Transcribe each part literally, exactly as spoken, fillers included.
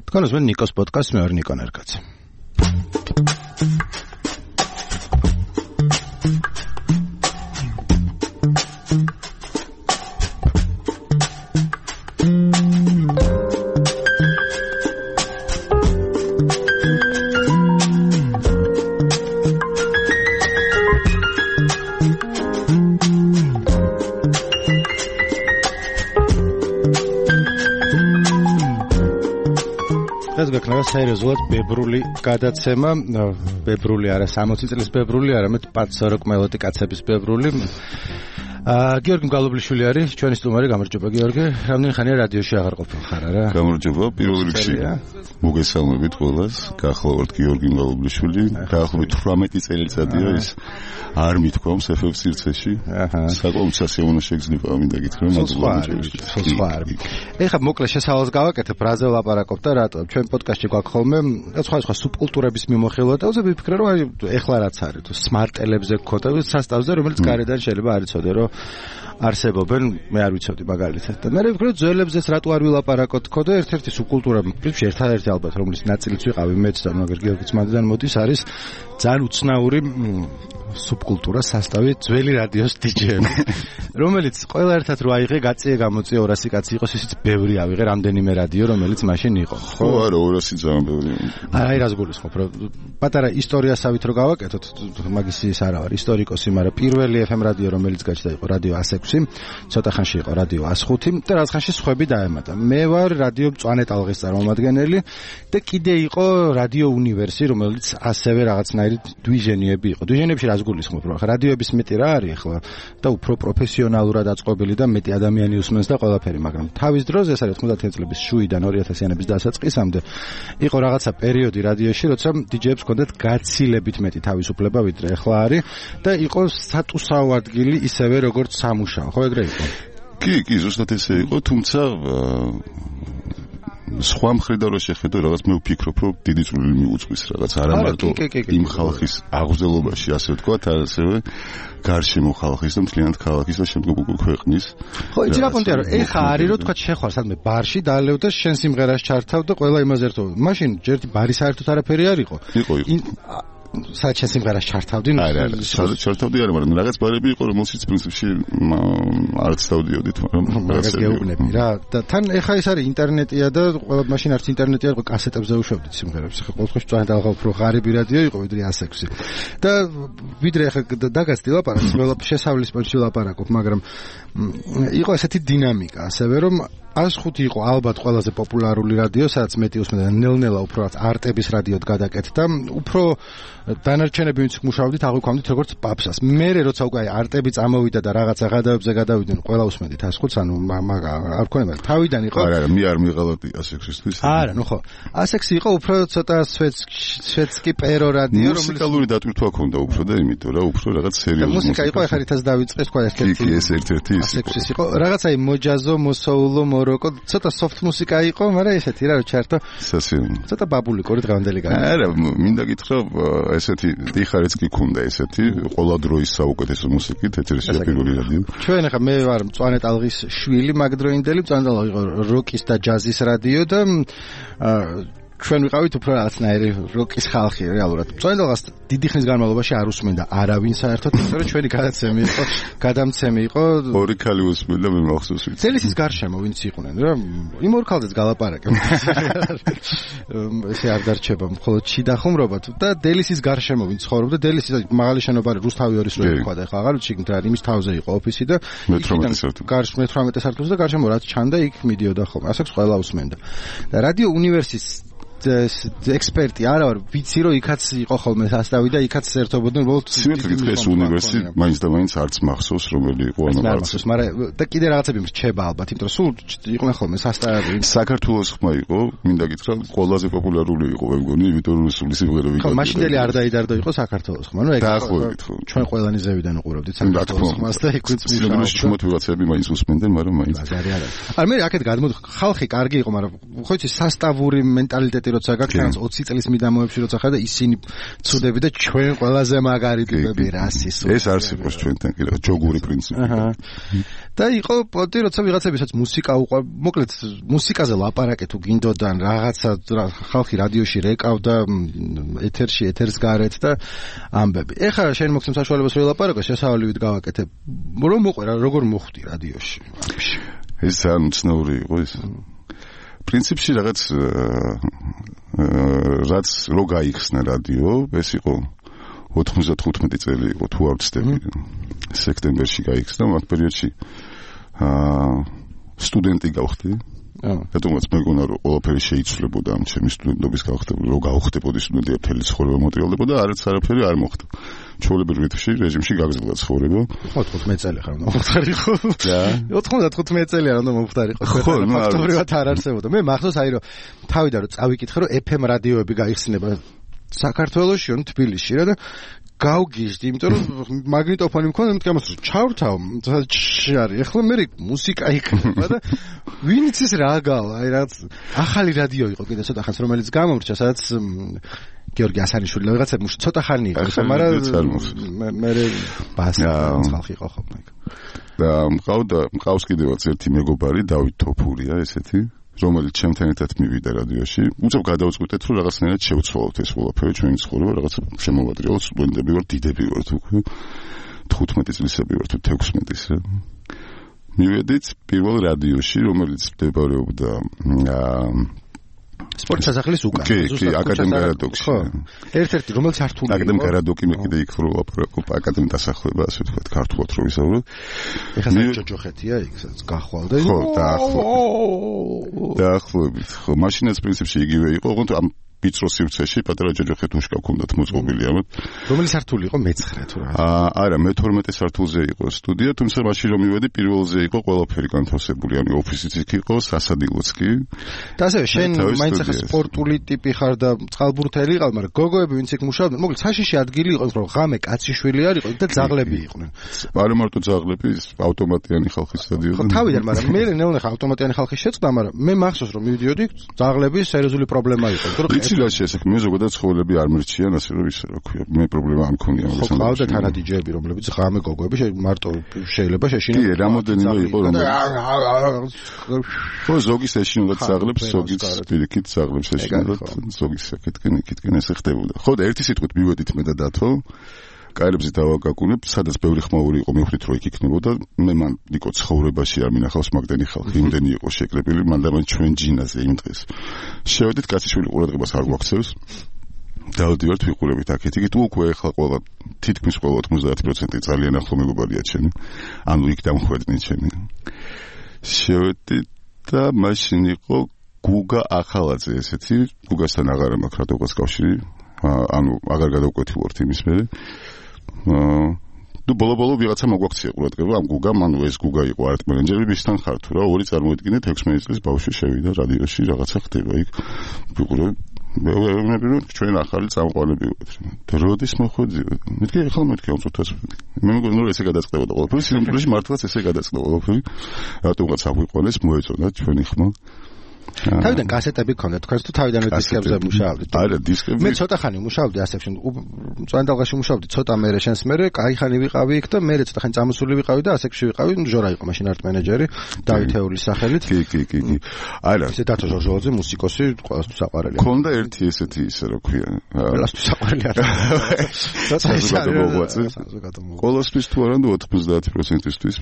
თქვენს მე ნიკოს პოდკასტს მე ვარ ნიკო ნერგაძე. სერიოზულად ბებრული გადაცემა, ბებრული არა სამოცი წლის ბებრული, არამედ პაცორო კმელოდი კაცების ბებრული. აა გიორგი გალობლიშვილი არის ჩვენი სტუმარი. გამარჯობა გიორგი. რამდენი ხანია რადიოში აღარ ყოფილ ხარ არა? გამარჯობა. პირველ რიგში მოგესალმებით ყველას. გახლავართ გიორგი გალობლიშვილი. დაახლოებით თვრამეტი წელიწადია ის არ მithქვამს ეფ ეფ სივრცეში. აჰა. საკმაოდ სასიამოვნო შეგრძნება მინდა გითხრა მაგალითად. ეხლა მოკლე შესავალს გავაკეთებ, რაზე ვლაპარაკობ და რატო? ჩვენ პოდკასტში გვაქვს ხოლმე სხვა სხვა სუბკულტურების მიმოხილვა და უზე ვიფიქრე რომ აი ეხლა რაც არის თუ სმარტ-ტელებზე გქონდა სასტავზე რომელიც გარედან შეიძლება არ იცოდე რომ არსებობენ, მე არ ვიცოდი მაგალითად. და მე ვფიქრობ ძველებზეც რატო არ ვილაპარაკოთ ხო და ერთ-ერთი სუბკულტურა, პრინციპში ერთადერთი ალბათ რომლის ნაწილიც ვიყავი მეც და მაგერ გიორგიც მანდიდან მოდის არის ძალიან უცნაური სუბკულტურა სასტავი ძველი რადიოს დიჯეები, რომელიც ყველა ერთად რო აიღე გაწიე გამოწიე ორასი კაცი იყოს ისიც ბევრი ავიღე რამდენიმე რადიო რომელიც მაშინ იყო. ხო არა ორასი ძალიან ბევრი. არა აი რას გულისხმობ რომ პატარა ისტორიასავით რო გავაკეთოთ მაგის ის არა ვარ ისტორიკოსი, მაგრამ პირველი ეფ ემ რადიო რომელიც გაჩნდა იყო რადიო ას ექვსი, ცოტა ხანში იყო რადიო ას ხუთი და რაღაც ხანში სხვები დაემატა. მე ვარ რადიო მწვანე ტალღის წარმომადგენელი და კიდე იყო რადიო უნივერსი რომელიც ასევე რაღაცნაირი დვიჟენიები იყო. დვიჟენიებში რას გულისხმობ რომ რადიოების მეტი რა არის ახლა და უფრო პროფესიონალურად აწყობილი და მეტი ადამიანი უსმენს და ყველაფერი, მაგრამ თავის დროს ეს არის ოცდაათი წლების შუიდან ორი ათასიანების დასაწყისამდე იყო რაღაცა პერიოდი რადიოში, როცა დიჯეებს ჰქონდათ გაცილებით მეტი თავისუფლება ვიდრე ახლა არის და იყო სტატუსაო ადგილი ისევე როგორც სამუშაო, ხო ეგრე იყო? კი, კი, ზუსტად ესე იყო, თუმცა სხვა მხრიდან რო შეხედო რაღაც მე ვფიქრობ რომ დიდი წვლილი მიუძღვის რაღაც არა მარტო იმ ხალხის აღზრდელობაში ასე ვთქვათ, ასევე გარშემო ხალხის და მთლიანად ქალაქის და შემდგომ უკვე ქვეყნის. ხო, იცი რა პონტია რომ ეხა არის რომ თქვა შეხვალ სადმე ბარში დაალევ და შენ სიმღერას ჩართავ და ყველა იმაზე ერთო. მაშინ ჯერტი ბარი საერთოდ არაფერი არ იყო. იყო იყო. საერთოდ შენ სიმღერას ჩართავდი? არა, არა, ჩართავდი არა, მაგრამ რაღაც ბარები იყო რომელშიც პრინციპში არც დავდიოდით, მაგრამ რაღაც გეუბნები რა. და თან ეხა ეს არის ინტერნეტია და ყველა მაშინ არც ინტერნეტი არ იყო, კასეტებზე უშვებდით სიმღერებს. ხა ყოველთვის წვან და უფრო ღარიბი რადიო იყო ვიდრე ას ექვსი. და ვიდრე ეხა დაგაცდი ლაპარაკს, ყველა შესავლის პონჩი ლაპარაკობ, მაგრამ იყო ესეთი დინამიკა, ასევე რომ ას ხუთი იყო ალბათ ყველაზე პოპულარული რადიო, სადაც მეტი უსმენდა ნელ-ნელა უფრო რაც არტების რადიოდ გადაკეთდა, უფრო დანარჩენები ვინც მუშაობდით აღვიქვამდით როგორც პაპსას. მერე როცა უკვე არტები წამოვიდა და რაღაცა გადავებზე გადავიდნენ, ყველა უსმენდით ას ხუთს, ანუ არ გქონდა თავიდან იყო. არა, არა, მე არ მიყავდი ას ექვსისთვის. არა, ნუ ხო. ას ექვსი იყო უფრო ცოტა სვეტსკი პერო რადიო, რომელიც მუსიკალური დატვირთვა ჰქონდა უფრო და იმიტომ რა, უფრო რაღაც სერიოზული მუსიკა იყო, ეხლა რითაც დავიწყე თქვა ერთ-ერთი. კი, ეს ერთ-ერთი ის იყო. იყო რაღაცა მოჯაზო, მოსოულო, მოროკო, ცოტა soft მუსიკა იყო, მაგრამ ესეთი რა, ჩარტო. სასიამოვნო. ცოტა ბაბულიკური დღევანდელი გაიგე. არა, მინდა გითხრა ესეთი დიხარიც კი ქონდა ესეთი ყველა დროის საუკეთესო მუსიკით ეთერში პირველი რადიო. ჩვენ ახლა მე ვარ მწვანე ტალღის შვილი მაგდროინდელი, მწვანე ტალღი იყო როკის და ჯაზის რადიო და ჩვენ ვიყავით უფრო რაღაცნაირი როკის ხალხი რეალურად. მწვანე ტალღას დიდი ხნის განმავლობაში არ უსმენდა არავინ საერთოდ, იმიტომ რომ ჩვენი გადაცემი იყო, გადამცემი იყო. ორი ქალი უსმენდა მე მახსოვს ვიცი. წელიწის გარშემო ვინც იყვნენ რა, იმ ორ ქალზეც გალაპარაკე. ესე არ დარჩება მხოლოდ შიდა ხუმრობა და დელისის გარშემო ვინც ცხოვრობდა, დელისის მაღალი შენობა რუსთავი ორის რო იყო და ახლა აღარ ვიცი რა, იმის თავზე იყო ოფისი და მეთორმეტე სართული. გარშ მეთორმეტე სართულზე და გარშემო რაც ჩანდა იქ მიდიოდა ხოლმე. ასეც ყველა უსმენდა. და რადიო უნივერსის ექსპერტი არა ვარ, ვიცი რომ იქაც იყო ხოლმე სასტავი და იქაც ერთობოდნენ უბრალოდ სიმართლე გითხრა ეს უნივერსიტეტი მაინც და მაინც არც მახსოვს რომელი იყო ანუ არც მაგრამ და კიდე რაღაცები მრჩება ალბათ, იმიტომ რომ სულ იყვნენ ხოლმე სასტავი. საქართველოს ხმა იყო, მინდა გითხრა ყველაზე პოპულარული იყო მე მგონი, იმიტომ რომ სული სიმღერები იყო. მაშინდელი არ დაიდარდო იყო საქართველოს ხმა, ნუ ეგ დაახლოებით ხო. ჩვენ ყველანი ზევიდან უყურავდით საქართველოს ხმას და იქ ვინც მისვლა. ჩუმოთ ვიღაცები მაინც უსმენდნენ, მაგრამ მაინც არა არა. არა მე აქეთ გადმოდ ხალხი კარგი იყო, მაგრამ ხო იცი სასტავური მენტალიტეტი კონცერტი როცა გაქვს ოცი წლის მიდამოებში როცა ხარ და ისინი ცუდები და ჩვენ ყველაზე მაგარი ტიპები რასის ეს არსებობს ჩვენთან კიდე ჯოგური პრინციპი და იყო პოტი როცა ვიღაცებისაც მუსიკა უყვა მოკლედ მუსიკაზე ლაპარაკე თუ გინდოდან რაღაცა ხალხი რადიოში რეკავდა ეთერში ეთერს გარეთ და ამბები ეხლა შენ მოგცემ საშუალებას რომ ელაპარაკო შესავალივით გავაკეთებ რომ მოყვერა როგორ მოხვდი რადიოში ეს ძალიან უცნაური იყო ეს პრინციპში რაღაც რაც რო გაიხსნა რადიო ეს იყო ოთხმოცდათხუთმეტი წელი იყო თუ არ ვცდები სექტემბერში გაიხსნა მაგ პერიოდში აა სტუდენტი გავხდი რატომაც მეგონა რომ ყველაფერი შეიცვლებოდა ამ ჩემი სტუდენტობის გავხდები რომ გავხდებოდი სტუდენტი მთელი ცხოვრება მოტრიალდებოდა არც არაფერი არ მოხდა ჩვეულებრივ რიტმში რეჟიმში გაგრძელდა ცხოვრება ოთხმოცდათხუთმეტი წელი ხარ უნდა მომხდარიყო და ოთხმოცდათხუთმეტი წელი არ უნდა მომხდარიყო ხო ფაქტობრივად არ არსებობდა მე მახსოვს აი რომ თავიდან რომ წავიკითხე რომ ეფ ემ რადიოები გაიხსნება საქართველოში ან თბილისში რა და გავგიჟდი, იმიტომ რომ მაგნიტოფონი მქონდა, მე მткамას ჩავრთავ, არის. ეხლა მე მუსიკა იქნება და ვინც ის რა გავა, აი რაღაც ახალი რადიო იყო კიდე ცოტა ხანს, რომელიც გამომრჩა, სადაც გიორგი ასანიშვილი რაღაცა ცოტა ხანი იყო, მაგრამ მე მე ბას ხალხი იყო ხოლმე. და მყავდა, მყავს კიდევაც ერთი მეგობარი, დავით თოფურია ესეთი. რომელიც ჩემთან ერთად მივიდა რადიოში, უცებ გადავწყვიტეთ, რომ რაღაცნაირად შევცვალოთ ეს ყველაფერი ჩვენი ცხოვრება, რაღაცა შემოვატრიალოთ, სტუდენტები ვართ, დიდები ვართ უკვე. თხუთმეტი წლისები ვართ, თექვსმეტის. მივედით პირველ რადიოში, რომელიც მდებარეობდა სპორტ სასახლის უკან. კი, კი, აკადემია რადიოში. ხო. ერთ-ერთი რომელიც ართული. აკადემია რადიო მე კიდე იქ რო ლაპარაკობ, აკადემია დასახლება, ასე ვთქვათ, ქართულად რო ვისაუბროთ. ეხლა საჯოჯოხეთია იქ, სადაც გახვალ და ხო, დაახლოებით. დაახლოებით. ხო, მაშინაც პრინციპში იგივე იყო, ოღონდ ამ ვიწრო სივრცეში პატარა ჯოჯოხეთ უშკა ქონდათ მოწყობილი ამათ. რომელი სართული იყო მეცხრე თუ რა? აა, არა, მეთორმეტე სართულზე იყო სტუდია, თუმცა მაშინ რომ მივედი პირველზე იყო ყველაფერი განთავსებული, ანუ ოფისიც იქ იყო, სასადილოც კი. და ასევე შენ მაინც ახლა სპორტული ტიპი ხარ და წყალბურთელი იყავ, მაგრამ გოგოები ვინც იქ მუშაობდნენ, მოკლედ საშიში ადგილი იყო, რომ ღამე კაციშვილი არ იყო და ძაღლები იყვნენ. არა მარტო ძაღლები, ავტომატიანი ხალხის სტადიონი. ხო, თავიდან, მაგრამ მე ნელ-ნელა ავტომატიანი ხალხი შეწყდა, მაგრამ მე მახსოვს რომ მივიდიოდი, ძაღლების სერიოზული პრობლემა იყო. იცილაში ესე მე ზოგადად ცხოვრები არ მერჩიან ასე რომ ის რა ქვია მე პრობლემა არ მქონია მაგას ხო ყავდა თანადიჯეები რომლებიც ღამე გოგოები მარტო შეიძლება შეშინო კი რამოდენიმე იყო რომ ხო ზოგის ეშინოდათ ძაღლებს ზოგის პირიქით ძაღლებს ეშინოდათ ზოგის საკეთკენ იქითკენ ესე ხდებოდა ხო და ერთი სიტყვით მივედით მე და დათო კაირებზე დავაკაკუნებ სადაც ბევრი ხმაური იყო მივხვდით რომ იქ იქნებოდა მე მან იყო ცხოვრებაში არ მინახავს მაგდენი ხალხი იმდენი იყო შეკრებილი მან და მან ჩვენ ჯინაზე იმ დღეს შევედით კაციშვილი ყურადღებას არ გვაქცევს დავდივართ ვიყურებით აქეთ იქით უკვე ახლა ყველა თითქმის ყველა ოცდაათი პროცენტი ძალიან ახლო მეგობარია ჩემი ანუ იქ დამხვეწნით ჩემი შევედით და მაშინ იყო გუგა ახალაძე ესეთი გუგასთან აღარ მაქვს რატოღაც კავშირი ანუ აღარ გადავკვეთილობთ იმის მერე ნუ ბოლო-ბოლო ვიღაცა მოგვაქცია ყურადღება ამ გუგამ, ანუ ეს გუგა იყო არტ მენეჯერი, ვისთან ხარ თუ რა, ორი წარმოედგინეთ ექვსმეტი წლის ბავშვი შევიდა რადიოში, რაღაცა ხდება იქ. ვიყურე, მე მე ჩვენ ახალი წამყვანები ვართ. და როდის მოხვედი? მეთქე ახლა მეთქე უწუთას. მე მეგონა რომ ესე გადაწყდებოდა ყველაფერი, სიმბოლოში მართლაც ესე გადაწყდა ყველაფერი. რატომღაც აღვიყვანეს, მოეწონა ჩვენი ხმა. თავიდან კასეტები გქონდა თქვენს თუ თავიდანვე დისკებზე მუშაობდით? არა, დისკები. მე ცოტა ხანი მუშაობდი ასებში. წვანდალღაში მუშაობდი ცოტა მერე შენს მერე, კაი ხანი ვიყავი იქ და მერე ცოტა ხანი წამოსული ვიყავი და ასებში ვიყავი, ჟორა იყო მაშინ არტ მენეჯერი, დავითეულის სახელით. კი, კი, კი, კი. არა, ესე დათო ჟორჟოაძე მუსიკოსი, ყველასთვის საყვარელი. გქონდა ერთი ესეთი ისე რა ქვია. ყველასთვის საყვარელი არა. ყველასთვის თუ არა და ოცდაათი პროცენტისთვის.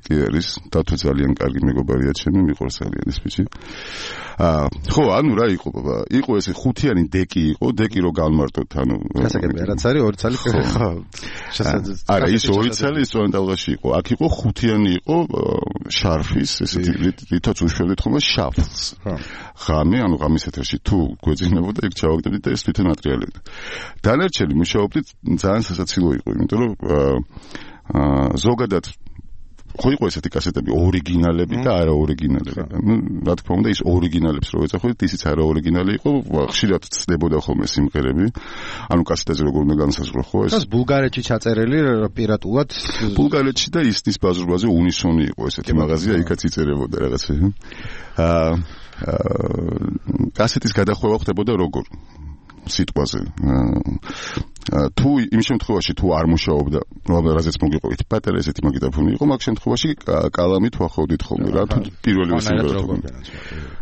კი არის, დათო ძალიან კარგი მეგობარია ჩემი, მიყვარს ძალიან ეს ბიჭი. აა, ხო, ანუ რა იყო, ბაბა? იყო ესე ხუთიანი დეკი იყო, დეკი რო გავმარტოთ, ანუ გასაგებია, რაც არის ორი ცალი ხო. შესაძლოა. არა, ის ორი ცალი ის წვანდალღაში იყო. აქ იყო ხუთიანი იყო შარფის, ესეთი რითაც უშვებდით ხოლმე შაფლს. ღამე, ანუ ღამის ეთერში თუ გვეძინებოდა, იქ ჩავაგდებდით და ეს თვითონ ატრიალებდა. დანარჩენი მუშაობდით ძალიან სასაცილო იყო, იმიტომ რომ აა ზოგადად ხო იყო ესეთი კასეტები ორიგინალები და არა ორიგინალები. ნუ რა თქმა უნდა ის ორიგინალებს რო ეძახოთ, ისიც არა ორიგინალი იყო, ხშირად ცდებოდა ხოლმე სიმღერები. ანუ კასეტაზე როგორ უნდა განსაზღვრო ხო ეს? ეს ბულგარეთში ჩაწერილი პირატულად ბულგარეთში და ისნის ბაზრობაზე უნისონი იყო ესეთი მაღაზია, იქაც იწერებოდა რაღაცა. აა კასეტის გადახვევა ხდებოდა როგორ? სიტყვაზე. თუ იმ შემთხვევაში თუ არ მუშაობდა, რაზეც მოგიყვებით პატარა ესეთი მაგიტაფონი იყო, მაგ შემთხვევაში კალამით ვახავდით ხოლმე რა, თუ პირველი სიმღერა.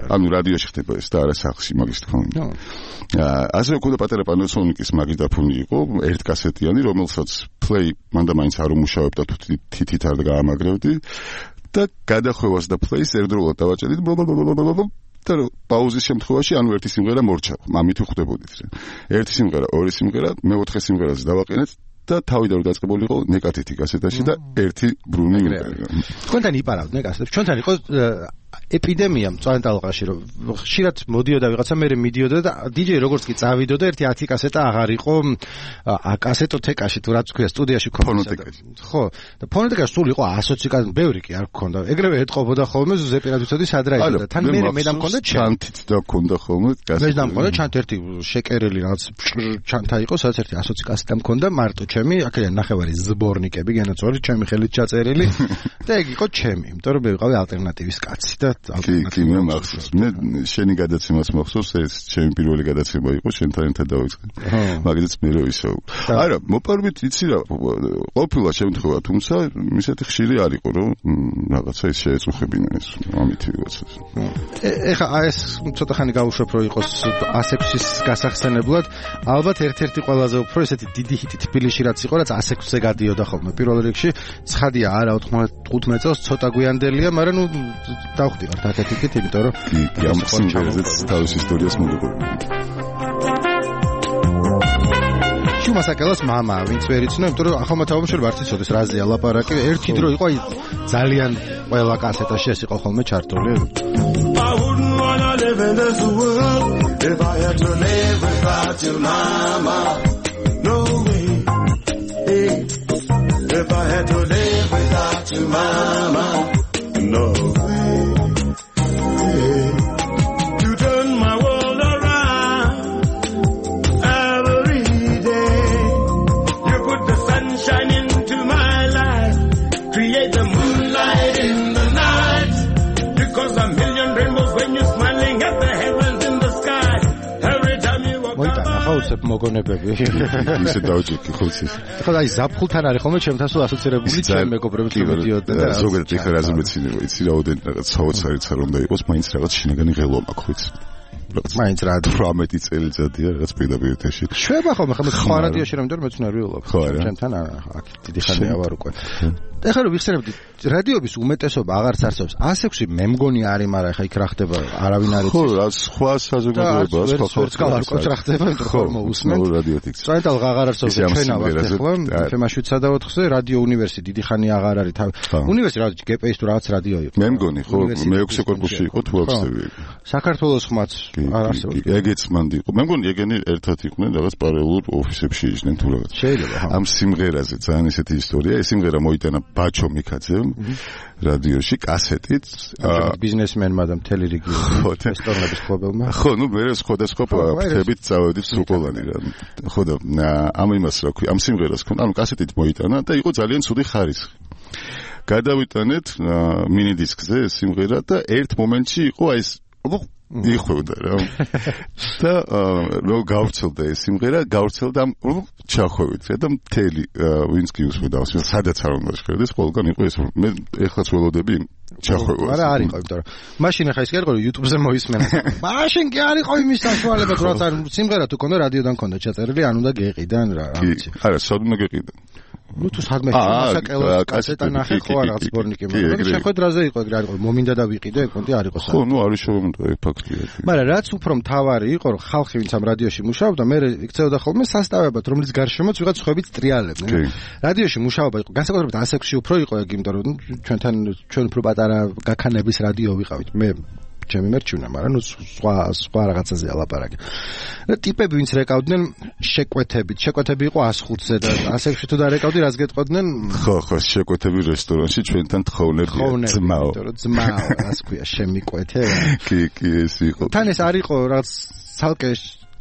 ანუ რადიოში ხდება ეს და არა სახლში მაგის თქმა. ასე უკვე პატარა პანასონიკის მაგიტაფონი იყო, ერთ კასეტიანი, რომელსაც play მანდა მაინც არ უმუშავებდა, თუ თითით არ გაამაგრებდი და გადახვევას და play-ს ერთდროულად დავაჭერით. და პაუზის შემთხვევაში ანუ ერთი სიმღერა მორჩა. ამით ვხვდებოდით. ერთი სიმღერა, ორი სიმღერა, მეოთხე სიმღერას დავაყენეთ და თავიდან დაწყებულიყო ნეკატითი კასეტაში და ერთი ბრუნი იმღერა. თქვენთან იპარავდნენ კასეტებს. ჩვენთან იყო ეპიდემია მწვანე-ტალღაში, რომ ხშირად მოდიოდა ვიღაცა, მე მიდიოდა და დიჯეი როგორც კი წავიდოდა, ერთი ათი კასეტა აღარ იყო კასეტოთეკაში თუ რაც ქვია სტუდიაში ქონდა. ხო, და ფონოტეკაში სულ იყო ასოცი კასეტა, ბევრი კი არ გქონდა. ეგრევე ეთყობოდა ხოლმე ზუზეპე რადვიცოდი სად რა იყო და თან მე მე დამქონდა ჩანთით და გქონდა ხოლმე კასეტა. მე დამქონდა ჩანთ ერთი შეკერელი რაღაც ჩანთა იყო, სადაც ერთი ასოცი კასეტა მქონდა, მარტო ჩემი, აქედან ნახევარი ზბორნიკები, განაცვალი ჩემი ხელით ჩაწერილი და ეგ იყო ჩემი, იმიტომ რომ მე ვიყავი ალტერნატივის კაცი. კი, კი, მე მახსოვს. მე შენი გადაცემას მახსოვს, ეს ჩემი პირველი გადაცემა იყო, შენთან ერთად დავიწყე. მაგითაც მე რო ისო. არა, მოპარვით იცი რა, ყოფილა შემთხვევა, თუმცა ისეთი ხშირი არ იყო, რომ რაღაცა ის შეეწუხებინა ეს ამით ვიღაცას. ეხა ეს ცოტა ხანი გავუშვებ, რომ იყოს ასექვსის გასახსენებლად, ალბათ ერთ-ერთი ყველაზე უფრო ესეთი დიდი ჰიტი თბილისში რაც იყო, რაც ასექვსზე გადიოდა ხოლმე. პირველ რიგში ცხადია, არა ოთხმოცდათხუთმეტ წელს ცოტა გვიანდელია, მაგრამ ნუ დავხდივართ ათეთით, იმიტომ რომ კი, ამ სიმღერაზეც თავის ისტორიას მოგიყვება. შუმასაკელას მამა, ვინც ვერ იცნო, იმიტომ რომ ახალმა თაობაშორი ვარც იცოდეს რაზეა ლაპარაკი. ერთი დრო იყო ძალიან ყველა კასეტაში ეს იყო ხოლმე ჩართული. I wouldn't wanna live in this world if I had to live without your mama. No way. Hey, if I had to live without your mama. No way. Hey, you turn my world around every day. You put the sunshine into my life, create the moonlight in the night. Because a million rainbows when you're smiling at the heavens in the sky. Every time you walk by. ხაუცებ მოგონებები. ისე დავჭიქი ხუცი. ხო, აი ზაფხულთან არის ხოლმე ჩემთან სულ ასოცირებული ჩემ მეგობრებს მოდიოდნენ და ზოგადად ეხლა რაზე მეცინება, იცი რაოდენ რაღაც საოცარიც არ უნდა იყოს, მაინც რაღაც შინაგანი ღელვა მაქვს ხუცი. მაინც რა თვრამეტი წელიწადია რაღაც პირდაპირ ეთერში. შვება ხოლმე ხომ სხვა რადიოში რომ მეტყვი მეცნიერ ვიოლობ. ჩემთან აქ დიდი ხანია ვარ უკვე. ეხლა რომ ვიხსენებდი რადიოების უმეტესობა აღარც არსებობს. ასექვსი მე მგონი არის, მაგრამ ეხლა იქ რა ხდება, არავინ არ იცის. ხო, რა სხვა საზოგადოებაა, სხვა ხალხი არ ყოფს რა ხდება, იმიტომ რომ მოусმენთ. წაიტალღა აღარ არსებობს, ჩვენ ავართ ეხლა თემაშვიდ სადაოთხზე, რადიო უნივერსი დიდი ხანი აღარ არის. უნივერსი რა გპ-ის თუ რაღაც რადიო იყო. მე მგონი, ხო, მეექვსე კორპუსში იყო თუ აქვსები. საქართველოს ხმაც არ არსებობს. ეგეც მანდი იყო. მე მგონი ეგენი ერთად იყვნენ რაღაც პარალელურ ოფისებში იჯდნენ თუ რაღაც. შეიძლება, ხო. ამ სიმღერაზე ძალიან ესეთი ისტორია, ეს სიმღერა მოიტანა ბაჩო მიქაძემ რადიოში კასეტით ბიზნესმენმა და მთელი რეგიონის რესტორნების ხობელმა. ხო, ნუ მე სხვადასხვა ფრთებით წავედით სრულყოფანი რა. ხო და ამ იმას რა ქვია, ამ სიმღერას ქონდა, ანუ კასეტით მოიტანა და იყო ძალიან ცუდი ხარისხი. გადავიტანეთ მინი დისკზე ეს სიმღერა და ერთ მომენტში იყო აი ეს იხვევდა რა. და რო გავრცელდა ეს სიმღერა, გავრცელდა ჩახვევით რა და მთელი ვინც კი უსმენდა, სადაც არ უნდა შეხედეს, ყველგან იყო ეს. მე ეხლაც ველოდები ჩახვევა. არა, არ იყო, იმიტომ რომ მაშინ ახლა ის კი არ იყო YouTube-ზე მოისმენა. მაშინ კი არ იყო იმის საშუალება, თუ რაც სიმღერა თუ კონდა რადიოდან კონდა ჩაწერილი, ან უნდა გეყიდან რა, რა ვიცი. არა, სადმე გეყიდან. ნუ თუ სადმე მასაკელოს კასეტა ნახე ხო რაღაც სპორნიკი, მაგრამ შეხვედრაზე იყო ეგრე არ იყო, მომინდა და ვიყიდე, ეგ კონტი არ იყო. ხო, ნუ არის შევმონდა ეგ ფაქტია. მაგრამ რაც უფრო მთავარი იყო, რომ ხალხი ვინც ამ რადიოში მუშაობდა, მე იქცეოდა ხოლმე სასტავებად, რომლის გარშემოც ვიღაც ხვებით ტრიალებდნენ. რადიოში მუშაობა იყო, განსაკუთრებით ასექვსი უფრო იყო ეგ, იმიტომ რომ ჩვენთან ჩვენ უფრო პატარა გაქანების რადიო ვიყავით. მე ჩემი მერჩივნა, მაგრამ ნუ სხვა სხვა რაღაცაზეა ლაპარაკი. და ტიპები ვინც რეკავდნენ შეკვეთებით, შეკვეთები იყო ას ხუთზე და ასექვსი თუ დარეკავდი, რას გეტყოდნენ? ხო, ხო, შეკვეთები რესტორანში ჩვენთან თხოვნებია, ძმაო. ძმაო, რას ქვია, შემიკვეთე? კი, კი, ეს იყო. თან ეს არ იყო რაღაც ცალკე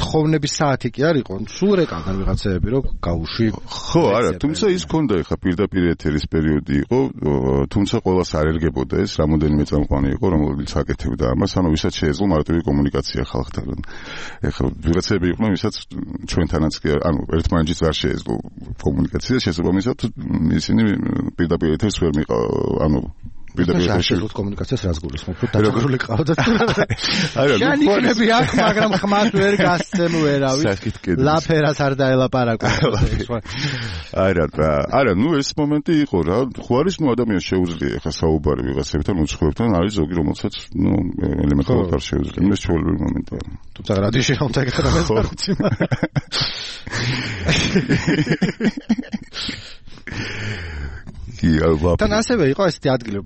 თხოვნების საათი კი არ იყო, სულ რეკავდნენ ვიღაცები, რომ გაუში. ხო, არა, თუმცა ის ქონდა ხა პირდაპირ ეთერის პერიოდი იყო, თუმცა ყველას არ ერგებოდა ეს, რამოდენიმე წამყვანი იყო, რომელიც აკეთებდა ამას, ანუ ვისაც შეეძლო მარტივი კომუნიკაცია ხალხთან. ეხლა ვიღაცები იყვნენ, ვისაც ჩვენთანაც კი ანუ ერთმანეთს არ შეეძლო კომუნიკაცია, შესაბამისად ისინი პირდაპირ ეთერს ვერ მიყ ანუ პირდაპირ ეთერში კომუნიკაციას რას გულისხმობ? დაგრული ყავდა. არა, შანიკნები აქ, მაგრამ ხმას ვერ გასცემ ვერავით. ლაფერას არ დაელაპარაკო. არა, არა, ნუ ეს მომენტი იყო რა. ხო არის ნუ ადამიანს შეუძლია ხა საუბარი ვიღაცებთან, უცხოებთან, არის ზოგი რომელსაც ნუ ელემენტარულად არ შეუძლია. ეს ჩვეულებრივი მომენტია. თუმცა რადიოში რომ დაგეხადავ ეს ფაქტი. თან ასევე იყო ესეთი ადგილი,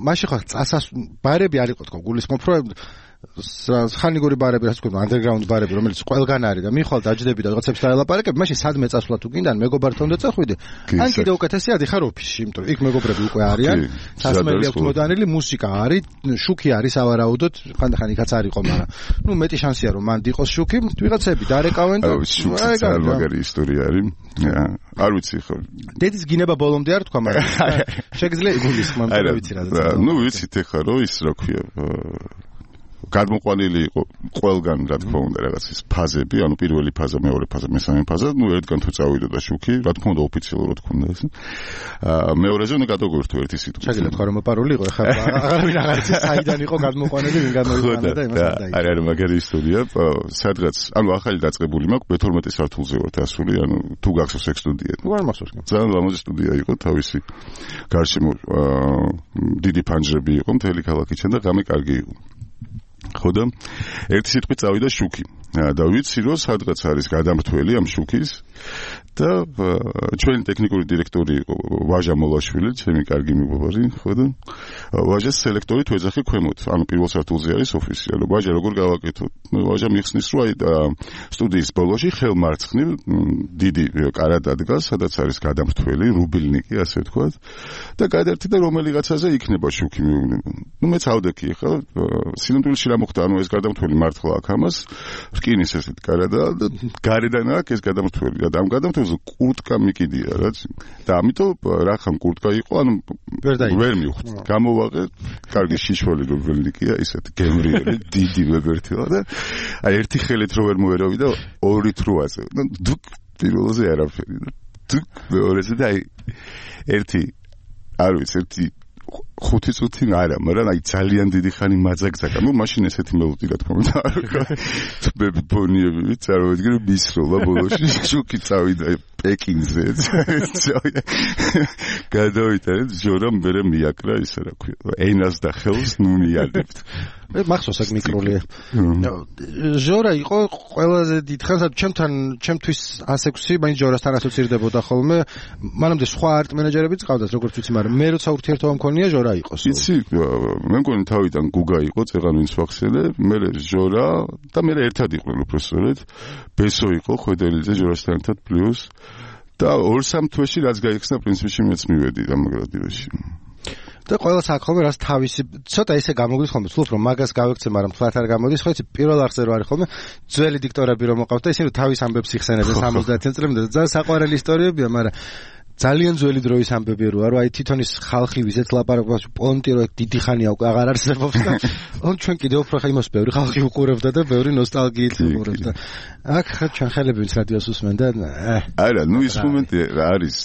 მაშინ ხო წასას ბარები არ იყო თქო გულისხმობ, რომ ხანიგური ბარები, რაც ქვია, underground ბარები, რომელიც ყველგან არის და მიხვალ დაჯდები და რაღაცებს დაელაპარაკებ, მაშინ სადმე წასვლა თუ გინდა, მეგობართან უნდა წახვიდე. ან კიდე უკეთესია დიხარ ოფისში, იმიტომ რომ იქ მეგობრები უკვე არიან, სასმელი აქვს მოდანილი, მუსიკა არის, შუქი არის ავარაუდოთ, ხანდახან იქაც არ იყო, მაგრამ ნუ მეტი შანსია რომ მანდ იყოს შუქი, ვიღაცები დარეკავენ და აი მაგარი ისტორია არის. არ ვიცი ხო. დედის გინება ბოლომდე არ თქვა, მაგრამ შეგძლია იგულისხმო, მაგრამ ვიცი რა. ნუ ვიცით ეხლა რომ ის რა ქვია გადმოყვანილი იყო ყველგან რა თქმა უნდა რაღაც ის ფაზები, ანუ პირველი ფაზა, მეორე ფაზა, მესამე ფაზა, ნუ ერთგან თუ წავიდოდა შუქი, რა თქმა უნდა ოფიციალურად ქონდა ეს. აა მეორეზე უნდა გადაგვერთო ერთი სიტყვით. შეგიძლიათ თქვა რომ მოპარული იყო, ეხლა აღარავინ აღარ იცის საიდან იყო გადმოყვანილი, ვინ გამოიყვანა და იმას არ დაიწყო. არა, არა, მაგარი ისტორია, სადღაც, ანუ ახალი დაწყებული მაქვს, მეთორმეტე სართულზე ვართ ასული, ანუ თუ გახსოვს ეგ სტუდია. ნუ არ მახსოვს. ძალიან ლამაზი სტუდია იყო, თავისი გარშემო დიდი ფანჯრები იყო, მთელი ქალაქიდან და ღამე კარგი იყო. ხო და ერთი სიტყვით წავიდა შუქი და ვიცი რომ სადღაც არის გადამრთველი ამ შუქის და ჩვენი ტექნიკური დირექტორი იყო ვაჟა მოლაშვილი, ჩემი კარგი მეგობარი, ხო და ვაჟას სელექტორი თუ ეძახი ქვემოთ, ანუ პირველ სართულზე არის ოფისი, ანუ ვაჟა როგორ გავაკეთოთ? ვაჟა მიხსნის რომ აი სტუდიის ბოლოში ხელმარცხნივ დიდი კარა დადგას, სადაც არის გადამრთველი, რუბილნიკი, ასე ვთქვათ, და გადაერთი და რომელიღაცაზე იქნება შუქი მეუბნება. ნუ მეც ავდექი ხა, სინამდვილეში რა მოხდა, ანუ ეს გადამრთველი მართლა აქ ამას რკინის ესეთ კარა და გარედან აქ ეს გადამრთველი და ამ გადამრთველს კურტკა მიკიდია რა და ამიტომ რახან კურტკა იყო, ანუ ვერ მივხვდი. გამოვაღე, კარგი შიშველი რუბილნიკია, ისეთ გემრიელი, დიდი ვებერთილა და აი ერთი ხელით რო ვერ მოერავი და ორით რო აზე. და დუк პირველზე არაფერი და დუк მეორეზე და აი ერთი არ ვიცი, ერთი ხუთი წუთი არა, მაგრამ აი ძალიან დიდი ხანი მაძაგძაგა. ნუ მაშინ ესეთი მელოდი რა თქმა უნდა არ ვქა. თბები ბონიები წარმოიდგინე მისროლა ბოლოში შუქი წავიდა პეკინზე. გადავიტანე ჯორამ მერე მიაკრა ისე რა ქვია. ენას და ხელს ნუ მიადებთ. მე მახსოვს აქ მიკროლი. ჟორა იყო ყველაზე დიდხანს ჩემთან ჩემთვის ას ექვსი მაინც ჟორასთან ასოცირდებოდა ხოლმე. მანამდე სხვა არტ მენეჯერებიც ყავდათ როგორც ვიცი, მაგრამ მე როცა ურთიერთობა მქონია ჟორა იყოს. იცი, მე მგონი თავიდან გუგა იყო, წეღან ვინც ვახსენე, მე ჟორა და მე ერთად იყვნენ უბრალოდ. ბესო იყო ხვედელიძე ჟორასთან ერთად პლუს და ორ სამ თვეში რაც გაიხსნა პრინციპში მეც მივედი ამ რადიოში. და ყველა საქონლე რას თავისი ცოტა ისე გამოგვდის ხოლმე, თულობ რომ მაგას გავექცე, მაგრამ თლათ არ გამოდის, ხო იცი, პირველ არხზე რო არის ხოლმე, ძველი დიქტორები რომ მოყავთ და ისინი თავის ამბებს იხსენებენ სამოცდაათი წლამდე და ძალიან საყვარელი ისტორიებია, მაგრამ ძალიან ძველი დროის ამბები როა, რომ აი თვითონ ის ხალხი ვიზეთ ლაპარაკობს პონტი რო დიდი ხანია უკვე აღარ არსებობს და on ჩვენ კიდევ უფრო ხა იმას ბევრი ხალხი უყურებდა და ბევრი ნოსტალგიით უყურებდა. აქ ხა ჩვენ ხელები ვინც რადიოს უსმენ და არა, ნუ ის მომენტი არის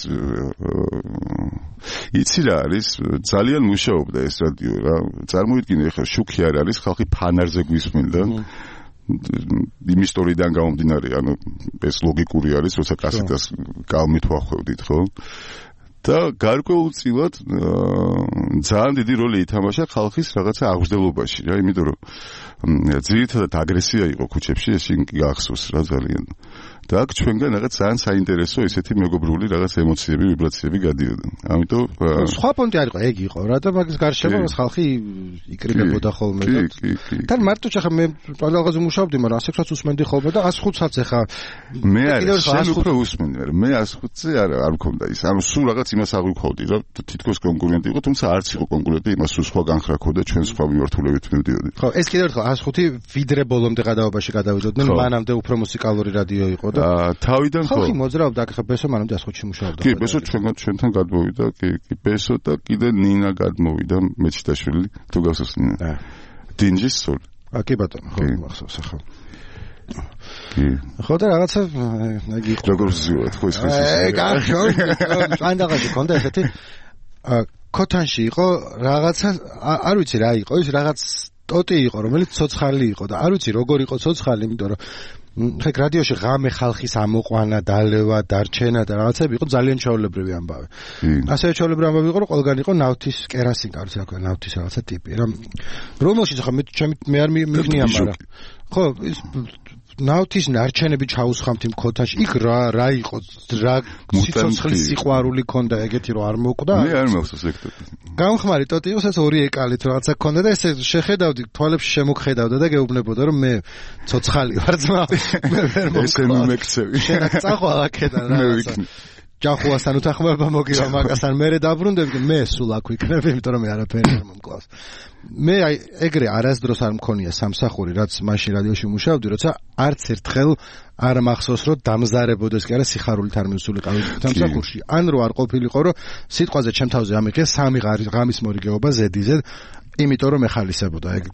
იცი რა არის, ძალიან მუშაობდა ეს რადიო რა. წარმოიდგინე ხა შუქი არ არის, ხალხი ფანარზე გვისმენდა. იმ ისტორიიდან გამომდინარე, ანუ ეს ლოგიკური არის, როცა კასეტას კალმით ვახვევდით, ხო? და გარკვეულწილად ძალიან დიდი როლი ითამაშა ხალხის რაღაცა აღზრდელობაში, რა, იმიტომ რომ ძირითადად აგრესია იყო ქუჩებში, ეს გახსოვს რა ძალიან. და აქ ჩვენგან რაღაც ძალიან საინტერესო ესეთი მეგობრული რაღაც ემოციები, ვიბრაციები გადიოდა. ამიტომ სხვა პონტი არ იყო, ეგ იყო რა და მაგის გარშემო ხალხი იკრიბებოდა ხოლმე და თან მარტო ხა მე პანდალღაზე მუშაობდი, მაგრამ ასეც უსმენდი ხოლმე და ას ხუთსაც ეხა მე არ შენ უფრო უსმენდი, მაგრამ მე ას ხუთზე არ არ მქონდა ის. ანუ სულ რაღაც იმას აღვიქოვდი რა თითქოს კონკურენტი იყო, თუმცა არც იყო კონკურენტი, იმას სულ სხვა განხრა ქონდა, ჩვენ სხვა მიმართულებით მივდიოდი. ხო, ეს კიდევ ერთხელ ას ხუთი ვიდრე ბოლომდე გადაობაში გადავიდოდნენ, მანამდე უფრო მუსიკალური რადიო იყო და თავიდან ხო. ხალხი მოძრაობდა, ახლა ბესო მანამდე ას ხუთში მუშაობდა. კი, ბესო ჩვენგან ჩვენთან გადმოვიდა, კი, კი, ბესო და კიდე ნინა გადმოვიდა, მეჩიტაშვილი, თუ გახსოვს ნინა. დინჯის სულ. ა კი ბატონო, ხო, მახსოვს ახლა. კი. ხო და რაღაცა იგი იყო. როგორ ზიოთ, ხო ის ის. აი, გახო. ანდაღაში კონდა ესეთი ქოთანში იყო რაღაცა არ ვიცი რა იყო, ის რაღაც ტოტი იყო, რომელიც ცოცხალი იყო და არ ვიცი როგორ იყო ცოცხალი, იმიტომ რომ ხე რადიოში ღამე ხალხის ამოყვანა, დალევა, დარჩენა და რაღაცები იყო ძალიან ჩაოლებრივი ამბავი. ასევე ჩაოლებრივი ამბავი იყო, რომ ყველგან იყო ნავთის კერასინკა, რა თქმა უნდა, ნავთის რაღაცა ტიპი. რა რომელშიც ხა მე ჩემი მე არ მიგნია, მაგრამ ხო, ის ნავთის ნარჩენები ჩაუსხამთ იმ ქოთანში. იქ რა რა იყო, რა სიცოცხლის სიყვარული ქონდა ეგეთი რომ არ მოკვდა. მე არ მახსოვს ეგ ტოტი. გამხმარი ტოტი იყო, ეს ორი ეკალით რაღაცა ქონდა და ესე შეხედავდი, თვალებში შემოგხედავდა და გეუბნებოდა რომ მე ცოცხალი ვარ ძმა. მე ვერ მომექცევი. შენ წახვალ აქედან რაღაცა. ჯახუასთან უთანხმოება მოგივა მაგასთან, მე დაბრუნდებდი, მე სულ აქ ვიქნები, იმიტომ რომ მე არაფერი არ მომკლავს. მე აი ეგრე არასდროს არ მქონია სამსახური, რაც მაშინ რადიოში მუშაობდი, როცა არც ერთხელ არ მახსოვს, რომ დამზარებოდეს კი არა სიხარულით არ მივსულიყავი სამსახურში. ან რო არ ყოფილიყო, რომ სიტყვაზე ჩემ თავზე ამიღია სამი ღამის მორიგეობა ზედიზედ, იმიტომ რომ ეხალისებოდა ეგ.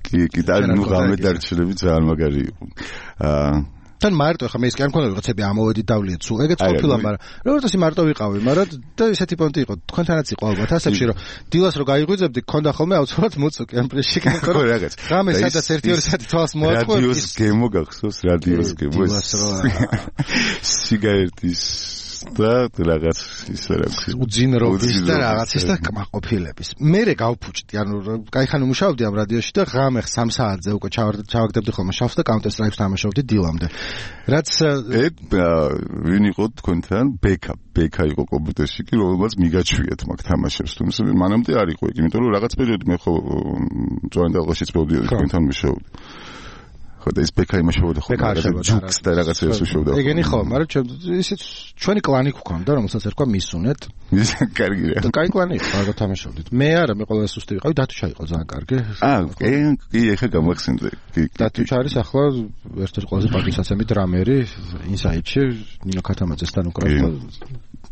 კი, კი, და ნუ ღამე დარჩენები ძალიან მაგარი იყო. აა თან მარტო ხა მე ის კი არ მქონდა რაღაცები ამოვედით დავლიეთ სულ ეგეც ყოფილა, მაგრამ როგორც ისე მარტო ვიყავი, მაგრამ და ესეთი პონტი იყო თქვენთანაც იყო ალბათ ასებში, რომ დილას რო გაიღვიძებდი ქონდა ხოლმე აუცილებლად მოწუკი ამ პრეში კანკო რაღაც ღამე სადაც ერთი ორი საათი თვალს მოაწყო რადიოს გემო გახსოვს რადიოს გემო სიგარეტის და რაღაც ის რა ქვია უძინრობის და რაღაცის და კმაყოფილების. მერე გავფუჭდი, ანუ кайხანი მუშაობდი ამ რადიოში და ღამე სამ საათზე უკვე ჩავაგდებდი ხოლმე შავს და Counter Strike-ს თამაშობდი დილამდე. რაც ეგ ვინ იყო თქვენთან? ბექა, ბექა იყო კომპიუტერში კი, რომელსაც მიგაჩვიათ მაგ თამაშებს. თუმცა მანამდე არ იყო ეგ, იმიტომ რომ რაღაც პერიოდი მე ხო ჯოინდალღაშიც მოვდიოდი თქვენთან მუშაობდი. ხო და ის ბექა იმაშობოდა ხო ჯუქს და რაღაცებს უშობდა. ეგენი ხო, მაგრამ ისიც ჩვენი კლანი გვქონდა, რომელსაც ერქვა მისუნეთ. მის კარგი რა. და კაი კლანი იყო, რა თამაშობდით. მე არა, მე ყველა სუსტი ვიყავი, დათუშა იყო ძალიან კარგი. აა, კი, ეხა გამახსენდა. დათუშა არის ახლა ერთ-ერთი ყველაზე პაკისაცემი დრამერი ინსაიდში, ნინო ქათამაძესთან უკრავდა.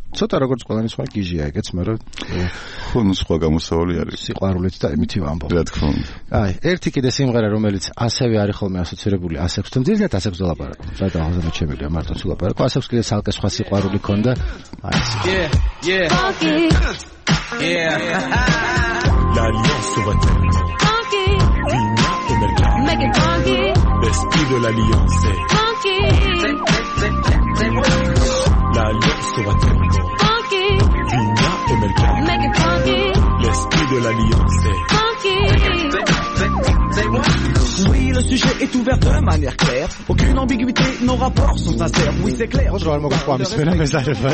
ცოტა როგორც ყველანი სხვა გიჟია ეგეც, მაგრამ ხო, ნუ სხვა გამოსავალი არის. სიყვარულით და იმითი ვამბობ. რა თქმა უნდა. აი, ერთი კიდე სიმღერა, რომელიც ასევე არის ხოლმე ასოცირებული ასექსთან, ძირითადად ასექს დალაპარაკო. საერთოდ ახალგაზრდა ჩემილია მარტო სულაპარაკო. ასექს კიდე სალკე სხვა სიყვარული ქონდა. აი ეს. Yeah, yeah. Yeah. L'alliance va terminer. Vigna et Mercado. Make it funky. L'esprit de l'alliance. Funky. L'alliance va terminer. Funky. Vigna et Mercado. Make it funky. L'esprit de l'alliance. Funky. Oui, le sujet est ouvert de manière claire. Aucune ambiguïté, nos rapports sont sincères. Oui, c'est clair. ხო რა მოგყვა ამის მენა მეზარება.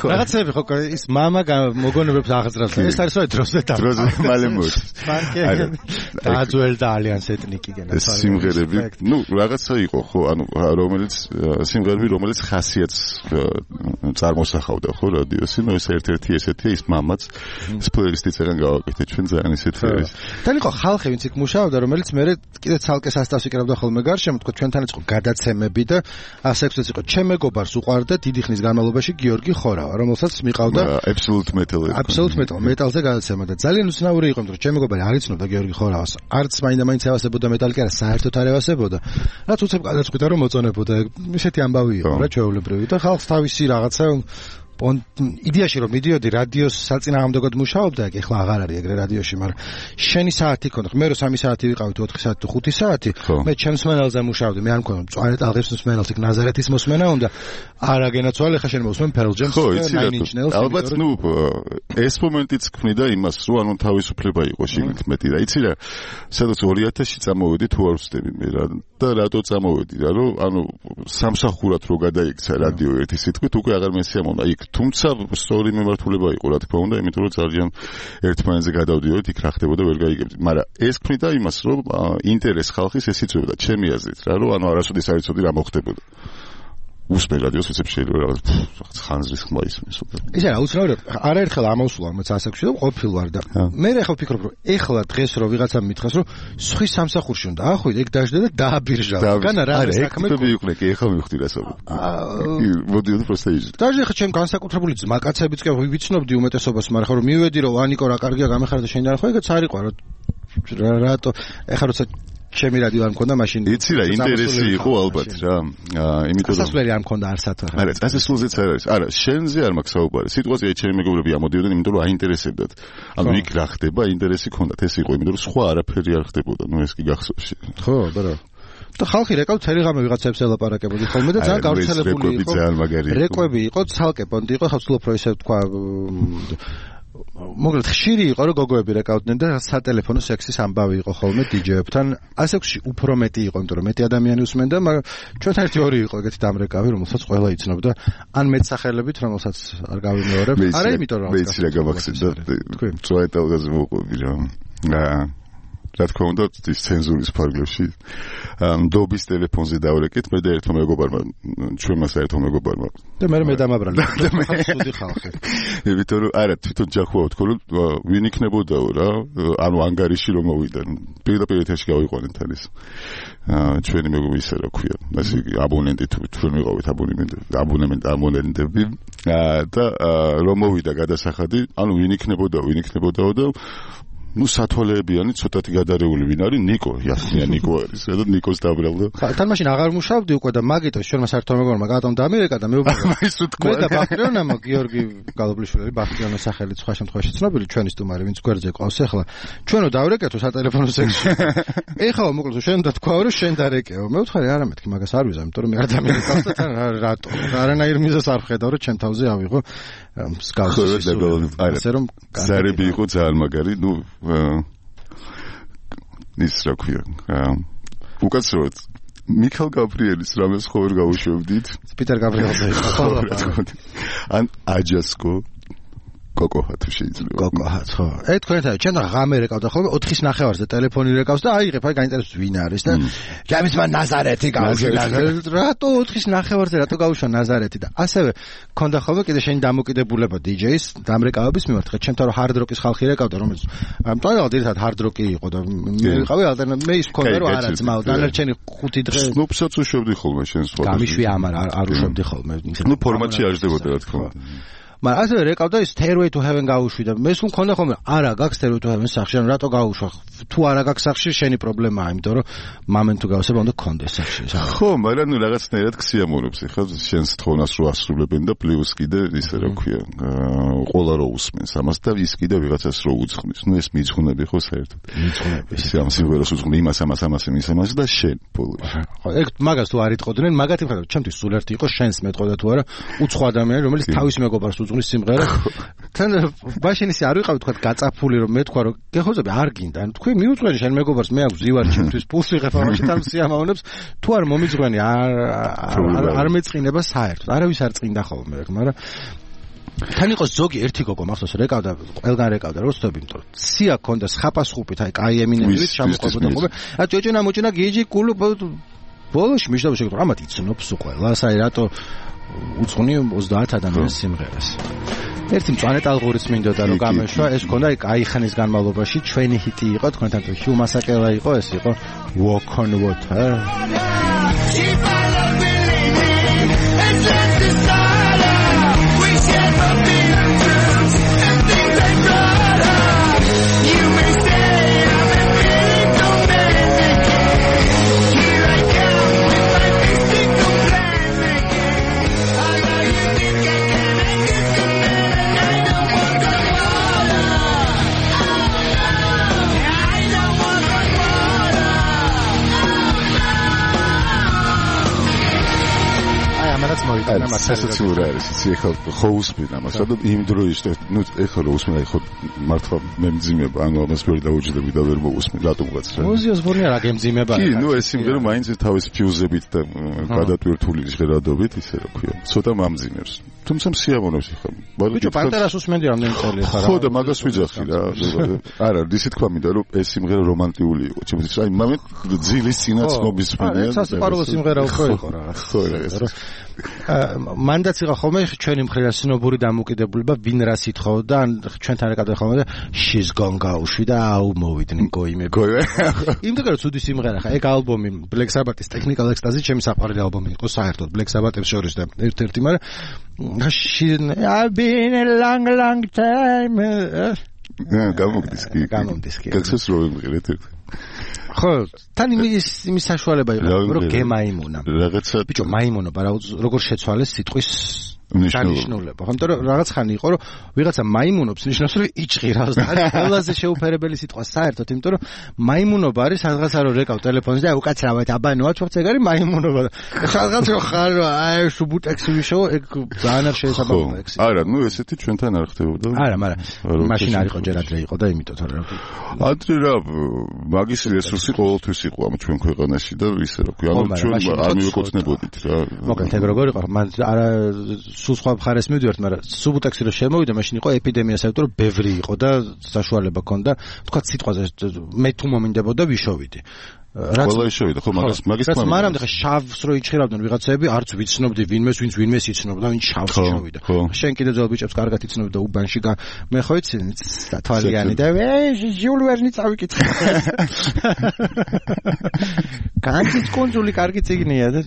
რაღაცები ხო ის мама მოგონებებს აღძრავს. ეს არის რა დროზე და დროზე მალე მოდის. არა. დაძველ და ალიანს ეთნიკი გენა. ეს სიმღერები, ну, რაღაცა იყო ხო, ანუ რომელიც სიმღერები, რომელიც ხასიათს წარმოსახავდა ხო რადიოსი, ну, ეს ერთ-ერთი ესეთი ის მამაც ეს პლეილისტიც ეგან გავაკეთე ჩვენ ძალიან ისეთი არის. თან იყო ხალხი, ვინც იქ მუშაობდა, რომელიც მე კიდე ცალკე სასტავს იკრავდა ხოლმე გარშემო, თქო ჩვენთან იყო გადაცემები და ასექსიც იყო. ჩემ მეგობარს უყვარდა დიდი ხნის განმავლობაში გიორგი ხორავა, რომელსაც მიყავდა Absolute Metal. Absolute Metal მეტალზე გადაცემა და ძალიან უცნაური იყო, რომ ჩემ მეგობარი არ იცნობდა გიორგი ხორავას. არც მაინდა მაინც ევასებოდა მეტალი, კი არა, საერთოდ არ ევასებოდა. რაც უცებ გადაწყვიტა რომ მოწონებოდა. ისეთი ამბავი იყო რა ჩვეულებრივი და ხალხს თავისი რაღაცა იდეაში რომ მიდიოდი რადიოს საწინააღმდეგოდ მუშაობდა, ეგ ახლა აღარ არის ეგრე რადიოში, მაგრამ შენი საათი ქონდა. მე რო სამი საათი ვიყავით, ოთხი საათი თუ ხუთი საათი, მე ჩემს მსმენელზე მუშაობდი, მე არ მქონდა მწვანე ტალღების მსმენელს, იქ ნაზარეთის მოსმენა უნდა. არა გენაცვალე, ხა შენ მოსმენ Pearl Jam-ს და Nine Inch Nails-ს. ალბათ, ნუ ეს მომენტიც ქმნიდა იმას, რომ ანუ თავისუფლება იყო შიგნით მეტი და იცი რა, სადაც ორი ათასში წამოვედი თუ არ ვცდები მე რა და რატო წამოვედი რა, რომ ანუ სამსახურად რო გადაიქცა რადიო ერთი სიტყვით უკვე აღარ მესიამოვნა იქ თუმცა სწორი მიმართულება იყო რა თქმა უნდა იმიტომ რომ ძალიან ერთმანეთზე გადავდიოდით იქ რა ხდებოდა ვერ გაიგებდი მაგრამ ეს ქმნიდა იმას რომ ინტერეს ხალხის ეს იწვევდა ჩემი აზრით რა რომ ანუ არასოდეს არ იცოდი რა მოხდებოდა უსმენ რადიოს ისე შეიძლება რაღაც ხანძრის ხმა ისმის უკვე ისე რა უცნაურად არაერთხელ ამოვსულა მეც ასაკში და ყოფილ ვარ და მე ახლა ვფიქრობ რომ ეხლა დღეს რო ვიღაცამ მითხრას რომ სხვის სამსახურში უნდა ახვიდე ეგ დაждდა და დააბირჟავა განა რა საქმე იყვნენ კი ეხლა მივხვდი რასაუბრობ მოდიოდი პროსტა ის დაჟე ხა ჩემ განსაკუთრებული ძმაკაცებიც კი ვიცნობდი უმეტესობას მაგრამ ხო რომ მივედი რომ ანიკო რა კარგია გამეხარა და შენ და ხო ეგეც არ იყო რა რატო ეხლა როცა ჩემი რადიო არ მქონდა მაშინ იცი რა ინტერესი იყო ალბათ რა იმიტომ რომ სასვლელი არ მქონდა არსად რა არა წასასვლელზეც არ არის არა შენზე არ მაქვს საუბარი სიტუაცია ჩემი მეგობრები ამოდიოდნენ იმიტომ რომ აინტერესებდათ ანუ იქ რა ხდება ინტერესი ქონდათ ეს იყო იმიტომ რომ სხვა არაფერი არ ხდებოდა ნუ ეს კი გახსოვს ხო ბარო და ხალხი რეკავ ცერიღამე ვიღაცებს ელაპარაკებოდი ხოლმე და ძალიან გავრცელებული იყო რეკვები იყო ცალკე პონტი იყო ხავსლო პროესე თქვა მოგლეთ ხშირი იყო რომ გოგოები რეკავდნენ და სატელეფონო სექსის ამბავი იყო ხოლმე დიჯეებთან ასექსში უფრო მეტი იყო იმიტომ რომ მეტი ადამიანი უსმენდა მაგრამ ჩვენთან ერთი ორი იყო ეგეთი დამრეკავი რომელსაც ყველა იცნობდა ან მეტსახელებით რომელსაც არ გავიმეორებ არა იმიტომ რომ მეც რა გამახსენდა წვეტელგაზე მოყვები რა რა თქმა უნდა ის ცენზურის ფარგლებში დობის ტელეფონზე დავრეკეთ მე და ერთმა მეგობარმა ჩვენმა საერთო მეგობარმა და მე მე დამაბრალე და მე სუდი ხალხი იმიტომ რომ არა თვითონ ჯახუა თქო რომ ვინ იქნებოდაო რა ანუ ანგარიში რომ მოვიდა პირდაპირ ეთერში გავიყვანეთ თან ეს ჩვენი მეგობარი ისე რა ქვია ასე აბონენტი თუ ჩვენ ვიყავით აბონემენტი აბონემენტი აბონენტები და რომ მოვიდა გადასახადი ანუ ვინ იქნებოდაო ვინ იქნებოდაო და ну სათვალეებიანი ცოტათი გადარეული ვინ არის ნიკო იასმია ნიკო არის და ნიკოს დაბრალდა თან მაშინ აღარ მუშავდი უკვე და მაგიტო შენმა საერთო მეგობრმა გადამ დამირეკა და მე უკვე ისო თქვა და ბახტიონა გიორგი გალობლიშვილი ბახტიონის სახელი სხვა შემთხვევაში ცნობილი ჩვენი სტუმარი ვინც გვერდზე ყავს ახლა ჩვენო დავრეკეთო სატელეფონო სექსში ეხლა მოკლედ შენ და თქვა რომ შენ დარეკეო მე ვთხარი არა მეთქი მაგას არ ვიზამ იმიტომ რომ მე არ დამირეკავს და თან რატო არანაირ მიზეს არ ხედავ რომ ჩემ თავზე ავიღო მსგავსი ასე რომ ზარები იყო ძალიან მაგარი ნუ ის რა ქვია უკაცრავად მიქელ გაბრიელის რამეს ხო ვერ გავუშვებდით პიტერ გაბრიელზე ან აჯასკო კოკოჰა თუ შეიძლება კოკოჰა ხო ე თქვენთან ჩვენ ღამე რეკავდა ხოლმე ოთხის ნახევარზე ტელეფონი რეკავს და აიღებ აი გაინტერესებს ვინ არის და ჯამის მან ნაზარეთი გავუშვა რატო ოთხის ნახევარზე რატო გავუშვა ნაზარეთი და ასევე ქონდა ხოლმე კიდე შენი დამოკიდებულება დიჯეის დამრეკავების მიმართ ხა ჩემთან რომ ჰარდ როკის ხალხი რეკავდა რომელიც მტვერალ ერთად ჰარდ როკი იყო და მე ვიყავი ალტერნატივი მე ის მქონდა რომ არა ძმაო დანარჩენი ხუთი დღე სნუპსაც უშვებდი ხოლმე შენ სხვა გამიშვი ამარ არ უშვებდი ხოლმე ნუ ფორმატში არ ჟდებოდა რა თქმა უნდა მაგრამ ასე რეკავდა ის Stairway to Heaven გაუშვი და მე სულ მქონდა ხოლმე არა გაქვს Stairway to Heaven სახში ან რატო გაუშვა თუ არა გაქვს სახში შენი პრობლემაა იმიტომ რომ მამენ თუ გავსება უნდა გქონდეს სახში ხო მაგრამ ნუ რაღაცნაირად ქსიამოვნებს ხა შენს თქონას რო ასრულებენ და პლუს კიდე ისე რა ქვია ყოლა რო უსმენს ამას და ის კიდე ვიღაცას რო უძღვნის ნუ ეს მიძღვნები ხო საერთოდ მიძღვნები ისე ამ სიმღერას უძღვნი იმას ამას ამას იმის ამას და შენ ბოლოს ხო ეგ მაგას თუ არ იტყოდნენ მაგათი ხარ ჩემთვის სულ ერთი იყო შენს მეტყოდა თუ არა უცხო ადამიანი რომელიც თავის მეგობარს უძღვნის სიმღერა თან მაშინ ისე არ ვიყავ თქვა გაწაფული რომ მე თქვა რომ გეხოცები არ გინდა თქვი მიუძღვენი შენ მეგობარს მე აქვს ზივარ ჩემთვის პულს ვიღებ ამაში თან სიამოვნებს თუ არ მომიძღვენი არ არ მეწყინება საერთოდ არავის არ წინდა ხოლმე მაგრამ თან იყო ზოგი ერთი გოგო მახსოვს რეკავდა ყველგან რეკავდა რო ვსწრები იმიტომ რომ სია ქონდა ხაპასხუპით აი კაი ემინემივით ჩამოყვებოდა ხოლმე ა ჭოჭონა მოჭონა გიჯი კულუ ბოლოში მიშდობა შეგეთო ამათ იცნობს ყველას აი რატო უცხონი ოცდაათ ადამიანის სიმღერას ერთი მწვანე ტალღურიც მინდოდა რომ გამეშვა ეს ქონდა აი კაი ხანის განმავლობაში ჩვენი ჰიტი იყო თქვენთან თუ ჰიუ მასაკელა იყო ეს იყო Walk on Water რაღაც მოიწონა მართლა სასაცილო არის იცი ეხლა ხო უსმენ ამას და იმ დროის ნუ ეხლა რო უსმენ აი ხო მართლა მე მძიმება ანუ ამას ვერ დაუჯდები და ვერ მოусმენ რატომღაც რა მუზიოს ბორნია რა გემძიმება კი ნუ ეს იმდრო მაინც თავის ფიუზებით და გადატვირთული ჟღერადობით ისე რა ქვია ცოტა მამძიმებს თუმცა სიამოვნებს ეხლა ბიჭო პანტერას უსმენდი რამდენი წელი ხარ ხო და მაგას ვიძახი რა არა ისე თქვა მინდა რომ ეს სიმღერა რომანტიკული იყო ჩემთვის აი მომენტ ძილის წინაც მობისმენია ეს სასიყვარულო სიმღერა უფრო იყო რა ხო რა მანდაც იყო ხოლმე ჩვენი მხრიდან სნობური დამოკიდებულება ვინ რას ითხოვდა ან ჩვენთან ეკადა ხოლმე და she's gone გაუშვი და აუ მოვიდნენ გოიმები იმდენ რომ ცუდი სიმღერა ხა ეგ ალბომი Black Sabbath-ის Technical Ecstasy ჩემი საყვარელი ალბომი იყო საერთოდ Black Sabbath-ებს შორის და ერთ-ერთი მაგრამ I've been a long long time გამოგდის კი გამოგდის კი გახსოვს რომ მიყრეთ ხო თან იმის იმის საშუალება იყო რომ გემაიმუნა რაღაცა ბიჭო მაიმუნობა რა როგორ შეცვალეს სიტყვის დანიშნულება ხო იმიტომ რომ რაღაც ხანი იყო რომ ვიღაცა მაიმუნობს ნიშნავს რომ იჭღირავს და არის ყველაზე შეუფერებელი სიტყვა საერთოდ იმიტომ რომ მაიმუნობა არის რაღაცა რომ რეკავ ტელეფონზე და უკაცრავად აბანოა თორე ეგ არის მაიმუნობა რაღაც რო ხარ რომ აი სუბუტექსი ვიშო ეგ ძალიან არ შეესაბამება ექსი არა ნუ ესეთი ჩვენთან არ ხდებოდა არა მაგრამ მაშინ არ იყო ჯერ ადრე იყო და იმიტომ თორე რა ადრე რა მაგის რესურსი ყოველთვის იყო ამ ჩვენ ქვეყანაში და ისე რა ქვია ანუ ჩვენ არ მივეკუთვნებოდით რა მოკლედ ეგ როგორ იყო მან არა სულ სხვა მხარეს მივდივართ, მაგრამ სუბუტექსი რომ შემოვიდა, მაშინ იყო ეპიდემია საერთოდ ბევრი იყო და საშუალება ჰქონდა, თქვა სიტყვაზე მე თუ მომინდებოდა ვიშოვიდი. ყველა ისოვიდა ხო მაგას მაგის თქმა მაგრამ მანამდე ხა შავს რო იჭირავდნენ ვიღაცები არც ვიცნობდი ვინმეს ვინც ვინმეს იცნობდა ვინც შავს შოვიდა შენ კიდე ძველ ბიჭებს კარგად იცნობდა უბანში მე ხო იცი თვალიანი და ჟიულ ვერნი წავიკითხე კარგი კონძული კარგი ციგნია და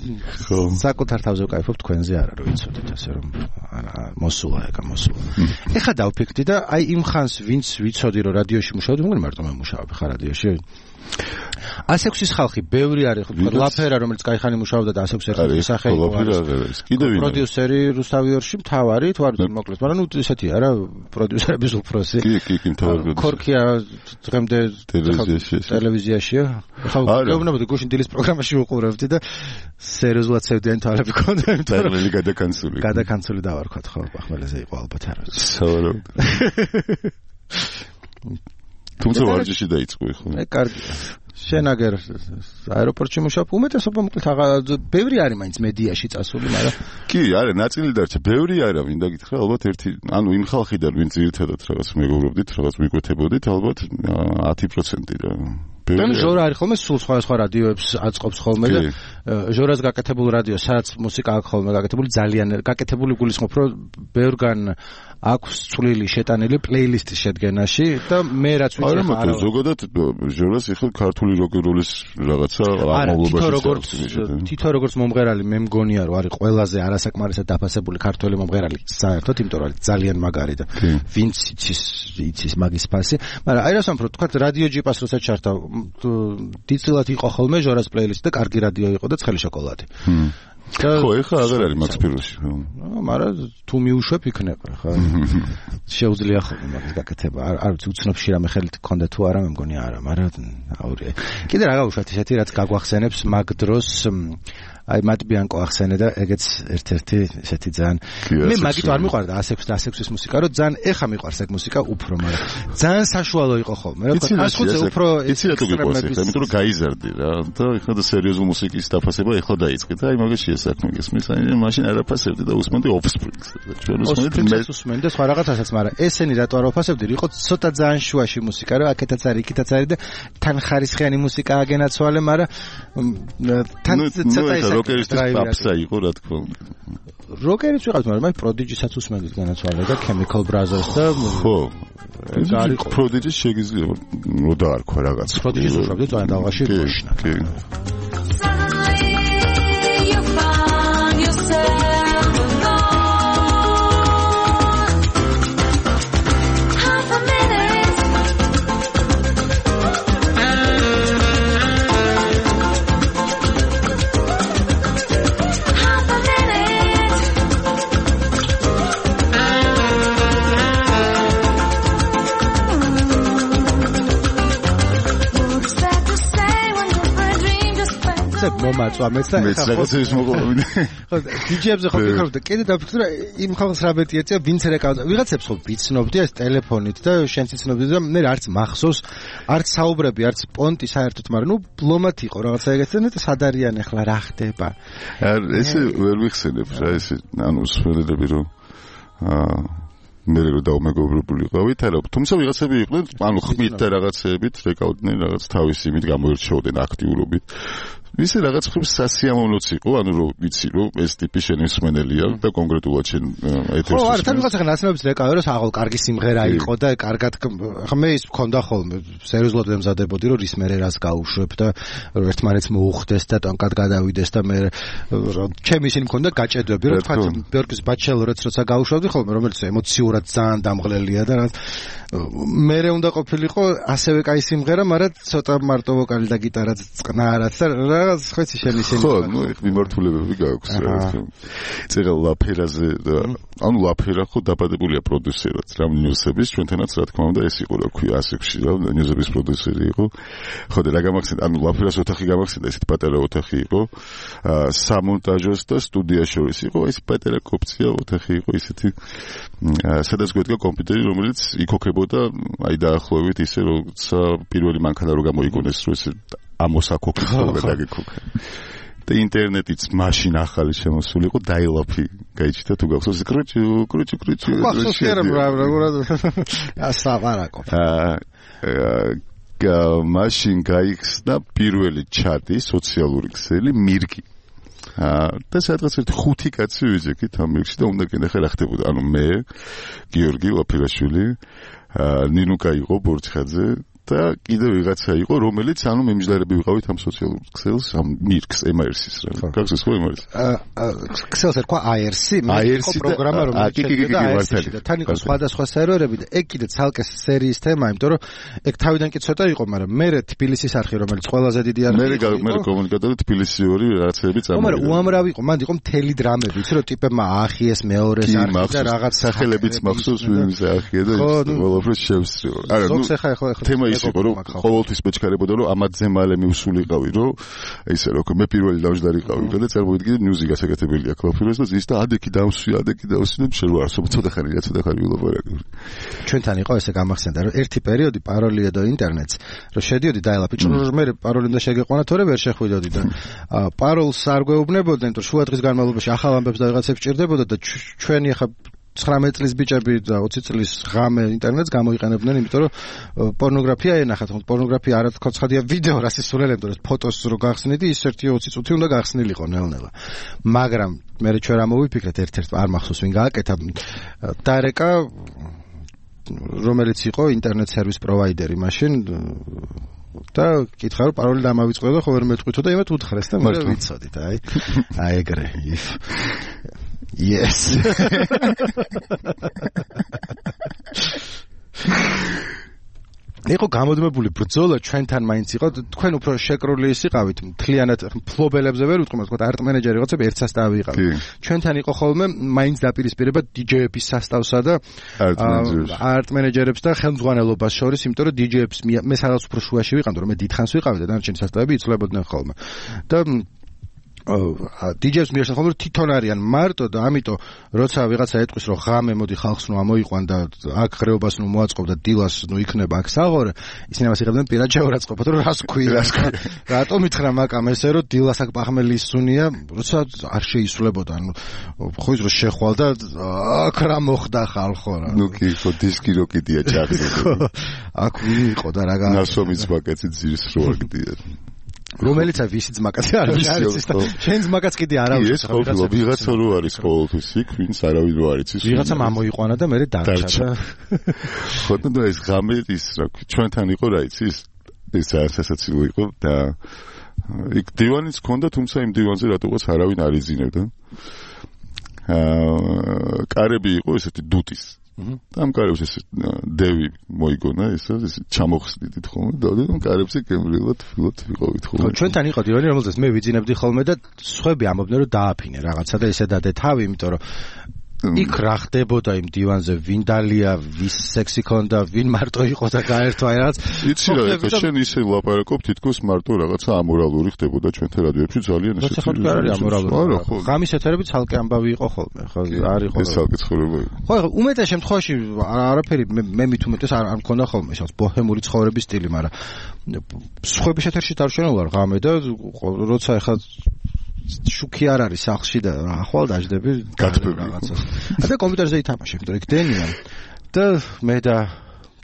საკუთარ თავზე ვკაიფობ თქვენზე არა რომ იცოდეთ ასე რომ მოსულა ეგა მოსულა ეხა დავფიქრდი და აი იმ ხანს ვინც ვიცოდი რომ რადიოში მუშაობდი მაგრამ მარტო მე მუშაობ ხა რადიოში ასექსის ხალხი ბევრი არის ხო ლაფერა რომელიც кайხანი მუშაობდა და ასექს ერთ-ერთი სახე იყო კიდევ ვინ პროდიუსერი რუსთავიორში მთავარი თუ არ მოკლედ მაგრამ ნუ ესეთი არა პროდიუსერების უფროსი კი კი კი მთავარი ქორქია დღემდე ტელევიზიაში ტელევიზიაში ხო გეუბნებოდი გუშინ დილის პროგრამაში უყურებდი და სერიოზულად ცევდიან თვალები ქონდა იმიტომ რომ გადაკანცული გადაკანცული დავარქვათ ხო ახმელეზე იყო ალბათ არა სავარაუდოდ თუმცა ვარჯიში დაიწყო ხო მე კარგია შენაგერ აეროპორტში მუშაობ უმეტესობა მოკლედ ბევრი არის მაინც მედიაში წასული მაგრამ კი არა ნაწილი დარჩა ბევრი არა ვინდა გითხრა ალბათ ერთი ანუ იმ ხალხიდან ვინც ერთადად რაღაც მეგობრობდით რაღაც მიკვეთებოდით ალბათ ათი პროცენტი რა და ჟორა არის ხოლმე სულ სხვა სხვა რადიოებს აწყობს ხოლმე და ჟორას გაკეთებულ რადიო სადაც მუსიკა აქვს ხოლმე გაკეთებული ძალიან გაკეთებული გულისხმობ რომ ბევრგან აქვს წვლილი შეტანილი პლეილისტის შედგენაში და მე რაც ვიცი არა ზოგადად ჟორას ეხლა ქართული როკ-н-როლის რაღაცა ამობლობაში თითო როგორც მომღერალი მე მგონია რომ არის ყველაზე არასაკმარისად დაფასებული ქართველი მომღერალი საერთოდ იმიტომ რომ ძალიან მაგარი და ვინც იცის იცის მაგის ფასი მაგრამ აი რას ამბობ თქვა რადიო ჯიპას როცა ჩარდა დიცილად იყო ხოლმე ჟორას პლეილისტი და კარგი რადიო იყო და ცხელი შოკოლადი ხო ეხლა აღარ არის მაქს ფიროსი მაგრამ თუ მიუშვებ იქნება ხო შეუძლია ხოლმე მაგის გაკეთება არ არ უცნობში რამე ხელით გქონდა თუ არა მე მგონი არა მაგრამ აური კიდე რა გავუშვათ ისეთი რაც გაგვახსენებს მაგ დროს აი მატბიანკო ახსენე და ეგეც ერთ-ერთი ესეთი ძალიან მე მაგით არ მიყვარდა ასექს და ასექსის მუსიკა რომ ძალიან ეხა მიყვარს ეგ მუსიკა უფრო მაგრამ ძალიან საშუალო იყო ხოლმე რა თქმა უნდა ასხუცე უფრო იცი რა თუ გიყვარს ეხლა იმიტომ რომ გაიზარდი რა და ეხლა და სერიოზულ მუსიკის დაფასება ეხლა დაიწყე და აი მაგაში ესაქმე გესმის აი მაშინ არაფასებდი და უსმენდი Offsprings ჩვენ უსმენდი მე უსმენდი სხვა რაღაცასაც მაგრამ ესენი რატო არ ვაფასებდი იყო ცოტა ძალიან შუაში მუსიკა რა აქეთაც არის იქითაც არის და თან ხარისხიანი მუსიკა აგენაცვალე მაგრამ თან ცოტა როკერის ტაპსა იყო რა თქმა უნდა როკერიც ვიყავთ მაგრამ აი პროდიჯისაც უსმენდით განაცვალე და Chemical Brothers და ხო არის პროდიჯის შეგიძლია რო დაარქვა რაღაც პროდიჯის უშვებდი ძალიან დავაში გოშნა კი მომაწვა მეც და მეც რაღაცების მოყოლები. ხო, დიჯეებზე ხო ფიქრობ და კიდე დაფიქრე რა იმ ხალხს რა მეტი ეწია, ვინც რეკავდა. ვიღაცებს ხო ვიცნობდი ეს ტელეფონით და შენც იცნობდი და მე არც მახსოვს, არც საუბრები, არც პონტი საერთოდ, მაგრამ ნუ ბლომად იყო რაღაცა ეგეთი და სად არიან ახლა რა ხდება. ესე ვერ ვიხსენებ რა ესე ანუ სველედები რომ აა მე რო დაუმეგობრებულიყავით, არა, თუმცა ვიღაცები იყვნენ, ანუ ხმით და რაღაცეებით რეკავდნენ რაღაც თავის იმით გამოირჩეოდნენ აქტიურობით. ისე რაღაც ხმის სასიამოვნოც იყო, ანუ რომ ვიცი რომ ეს ტიპი შენი მსმენელია და კონკრეტულად შენ ეთერში. ხო, არა, თან ვიღაცა ნაცნობებს რეკავე რომ საღოლ კარგი სიმღერა იყო და კარგად ხა მე ის მქონდა ხოლმე სერიოზულად ვემზადებოდი რომ რის მერე რას გაუშვებ და ერთმანეთს მოუხდეს და ტონკად გადავიდეს და მე ჩემი ისინი მქონდა გაჭედვები რომ თქვა ბიორკის ბაჩელორიც როცა გაუშვებდი ხოლმე რომელიც ემოციურად ძალიან დამღლელია და რაღაც მერე უნდა ყოფილიყო ასევე კაი სიმღერა, მაგრამ ცოტა მარტო ვოკალი და გიტარაც წყნარად და რაღაც ხეცი შენ ისინი. ხო, ნუ იქ მიმართულებები გაქვს რა თქმა უნდა. წერა ლაფერაზე და ანუ ლაფერა ხო დაბადებულია პროდიუსერად რა ნიუსების ჩვენთანაც რა თქმა უნდა ეს იყო რა ქვია ასებში რა ნიუსების პროდიუსერი იყო. ხო და რა გამახსენდა ანუ ლაფერას ოთახი გამახსენდა ესეთ პატარა ოთახი იყო. აა სამონტაჟოს და სტუდია შორის იყო ეს პატარა კოპცია ოთახი იყო ისეთი სადაც გვედგა კომპიუტერი რომელიც იქოქებოდა აი დაახლოებით ისე როცა პირველი მანქანა რო გამოიგონეს რომ ეს ამოსაკოქი ხოლმე დაგიქოქა და ინტერნეტიც მაშინ ახალი შემოსული იყო დაილაფი გაიჩნდა თუ გახსოვს კრუჩი კრუჩი კრუჩი გახსოვს რა რა ასაბარაკო აა მაშინ გაიხსნა პირველი ჩატი სოციალური ქსელი მირგი და სადღაც ერთი ხუთი კაცი ვიძეკით ამ მირგში და უნდა გენახე რა ხდებოდა ანუ მე გიორგი ლაფერაშვილი ნინუკა იყო ბორჩხაძე და კიდევ ვიღაცა იყო რომელიც ანუ მიმჯდარები ვიყავით ამ სოციალურ ქსელს ამ მირგს ემ არ სის რა გახსოვს ხო ემ არ სის ქსელს ერქვა აი არ სი მე იყო პროგრამა რომელიც შედგება აი არ სი და თან იყო სხვადასხვა სერვერები და ეგ კიდე ცალკე სერიის თემა იმიტომ რომ ეგ თავიდან კი ცოტა იყო მაგრამ მე თბილისის არხი რომელიც ყველაზე დიდი არხი იყო მე მე კომუნიკატორი თბილისი ორი რაღაცები წამოვიდა მაგრამ უამრავი იყო მანდ იყო მთელი დრამები იცი რომ ტიპებმა აახიეს მეორეს არხი და რაღაც სახელებიც მახსოვს ვინმე აახია და ყველაფერს შევსწრიო არა ნუ თემა იყო რომ ყოველთვის მეჩქარებოდა რომ ამათზე მალე მივსულიყავი რომ ისე რომ მე პირველი დავждარიყავი და წარმოვიდგინე მუსიკა საკეთებელი აქვს ლაფერას და ის და ადეკი დავსვი ადეკი დავსვი და შენ ვარ სულ ცოტა ხანი რა ცოტა ხანი ვილაპარაკე ჩვენთან იყო ესე გამახსენდა რომ ერთი პერიოდი პაროლია და ინტერნეტს რომ შედიოდი დაელაფი ჭრუჟ მე პაროლი უნდა შეგეყვანა თორე ვერ შეხვიდოდი და პაროლს არ გვეუბნებოდნენ რომ შუა დღის განმავლობაში ახალ ამბებს და რაღაცებს ჭირდებოდა და ჩვენი ახლა ცხრამეტ წლის ბიჭები და ოცი წლის ღამე ინტერნეტს გამოიყენებდნენ, იმიტომ რომ პორნოგრაფია ენახათ, ხო პორნოგრაფია არა თქო ცხადია ვიდეო რას ისურელებდა, რომ ფოტოს რო გახსნიდი, ის ერთი ოცი წუთი უნდა გახსნილიყო ნელ-ნელა. მაგრამ მე ჩვენ რა მოვიფიქრეთ ერთ-ერთ არ მახსოვს ვინ გააკეთა დარეკა რომელიც იყო ინტერნეტ სერვის პროვაიდერი მაშინ და კითხა რომ პაროლი დამავიწყდა და ხო ვერ მეტყვითო და იმათ უთხრეს და მე ვიცოდით აი აი ეგრე Yes. იყო გამოდმებული ბრძოლა ჩვენთან მაინც იყო თქვენ უფრო შეკრული ისიყავით მთლიანად ფლობელებზე ვერ ვიტყვი მაგრამ არტ მენეჯერი რაღაცები ერთ სასტავი იყავით ჩვენთან იყო ხოლმე მაინც დაპირისპირება დიჯეების სასტავსა და არტ მენეჯერებს და ხელმძღვანელობას შორის იმიტომ რომ დიჯეებს მე სადაც უფრო შუაში ვიყავდი რომ მე დიდხანს ვიყავდი და დანარჩენი სასტავები იცვლებოდნენ ხოლმე და დიჯეებს მიერთად ხოლმე თვითონ არიან მარტო და ამიტომ როცა ვიღაცა ეტყვის რომ ღამე მოდი ხალხს ნუ ამოიყვან და აქ ღრეობას ნუ მოაწყობ და დილას ნუ იქნება აქ საღორე ისინი მას იღებდნენ პირად შეურაცხყოფად რომ რას ქვია რატომ ითხრა მაკამ ესე რომ დილას აქ პახმელი ისუნია როცა არ შეისვლებოდა ნუ ხო ის რომ შეხვალ და აქ რა მოხდა ხალხო რა ნუ კი ხო დისკი რო კიდია ჩაგდო აქ ვინ იყო და რა გა ნასვამის ბაკეტი ძირს რო აგდია რომელიც აი ვისი ძმაკაცი არ არის ის და შენ ძმაკაც კიდე არ არის ეს ხო ვიღაცა რო არის ყოველთვის იქ ვინც არავინ რო არის ის ვიღაცა მამოიყვანა და მე დარჩა ხო და ეს ღამე ის რა ჩვენთან იყო რა იცი ეს სასაცილო იყო და იქ დივანიც ჰქონდა თუმცა იმ დივანზე რატოღაც არავინ არ იზინებდა აა კარები იყო ესეთი დუტის და ამ კარებს ეს დევი მოიგონა ესა ეს ჩამოხსნიდით ხოლმე და ამ კარებზე გემრიელად ფილოთ ვიყავით ხოლმე ჩვენთან იყო დივანი რომელზეც მე ვიძინებდი ხოლმე და სხვები ამობდნენ რომ დააფინე რაღაცა და ესე დადე თავი იმიტომ რომ იქ რა ხდებოდა იმ დივანზე ვინ დალია ვის სექსი ქონდა ვინ მარტო იყო და გაერთვა რაღაც იცი რა ეხლა შენ ისე ლაპარაკობ თითქოს მარტო რაღაცა ამორალური ხდებოდა ჩვენთან რადიოებში ძალიან ესეთი ხო არ არის ამორალური ღამის ეთერები ცალკე ამბავი იყო ხოლმე ხო არ იყო ეს ცალკე ცხოვრება ხო ეხლა უმეტეს შემთხვევაში არაფერი მე მით უმეტეს არ მქონდა ხოლმე ეს ბოჰემური ცხოვრების სტილი მაგრამ სხვების ეთერში დავშენო ვარ ღამე და როცა ეხლა შუქი არ არის სახლში და ახვალ დაждები რაღაცას. და კომპიუტერზე ითამაშებ, იმიტომ რომ დენია და მე და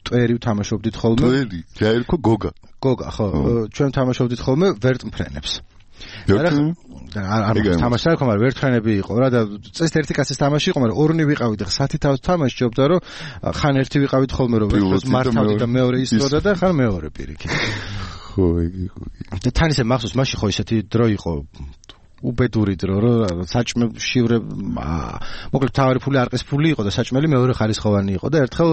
ტვერი ვთამაშობდით ხოლმე. ტვერი, გაერქო გოგა. გოგა, ხო, ჩვენ ვთამაშობდით ხოლმე ვერტმფრენებს. არ არ თამაშა იყო, მაგრამ ვერტმფრენები იყო რა და წეს ერთი კაცის თამაში იყო, მაგრამ ორნი ვიყავით და ხუთი თავს თამაშობდა, რომ ხან ერთი ვიყავით ხოლმე, რომ ვერტმფრენს მართავდი და მეორე ისროდა და ხან მეორე პირიქით. ხო, იგი ხო. და თან ისე მახსოვს, მაშინ ხო ისეთი დრო იყო უბედური დრო რომ საჭმე შივრე მოკლედ თავარი ფული არყის ფული იყო და საჭმელი მეორე ხარისხოვანი იყო და ერთხელ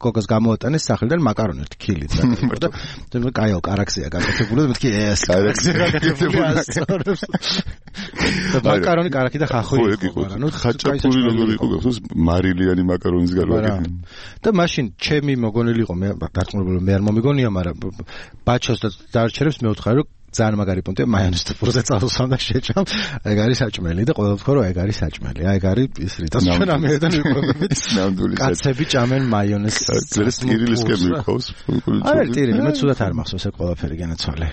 გოგას გამოატანეს სახლიდან მაკარონი ერთი ქილი და და კაიო კარაქსია გაკეთებული და მეთქი ეს კარაქსია გაკეთებული და მაკარონი კარაკი და ხახო იყო ანუ ხაჭაპური როგორ იყო გახსოვს მარილიანი მაკარონის გარკვეული და მაშინ ჩემი მოგონილი იყო მე დარწმუნებული მე არ მომიგონია მაგრამ ბაჩოს და დარჩერებს მე ვთხარი რომ ძალიან მაგარი პონტია მაიონეზს და პურზე წავსვამ და შეჭამ ეგ არის საჭმელი და ყველა ვთქვა რომ ეგ არის საჭმელი აი ეგ არის ის რითაც ჩვენ ამერიდან ვიყვებით ნამდვილი კაცები ჭამენ მაიონეზს ეს ტირილისკენ მიყავს არა ტირილი მე ცუდად არ მახსოვს ეგ ყველაფერი განაცვალე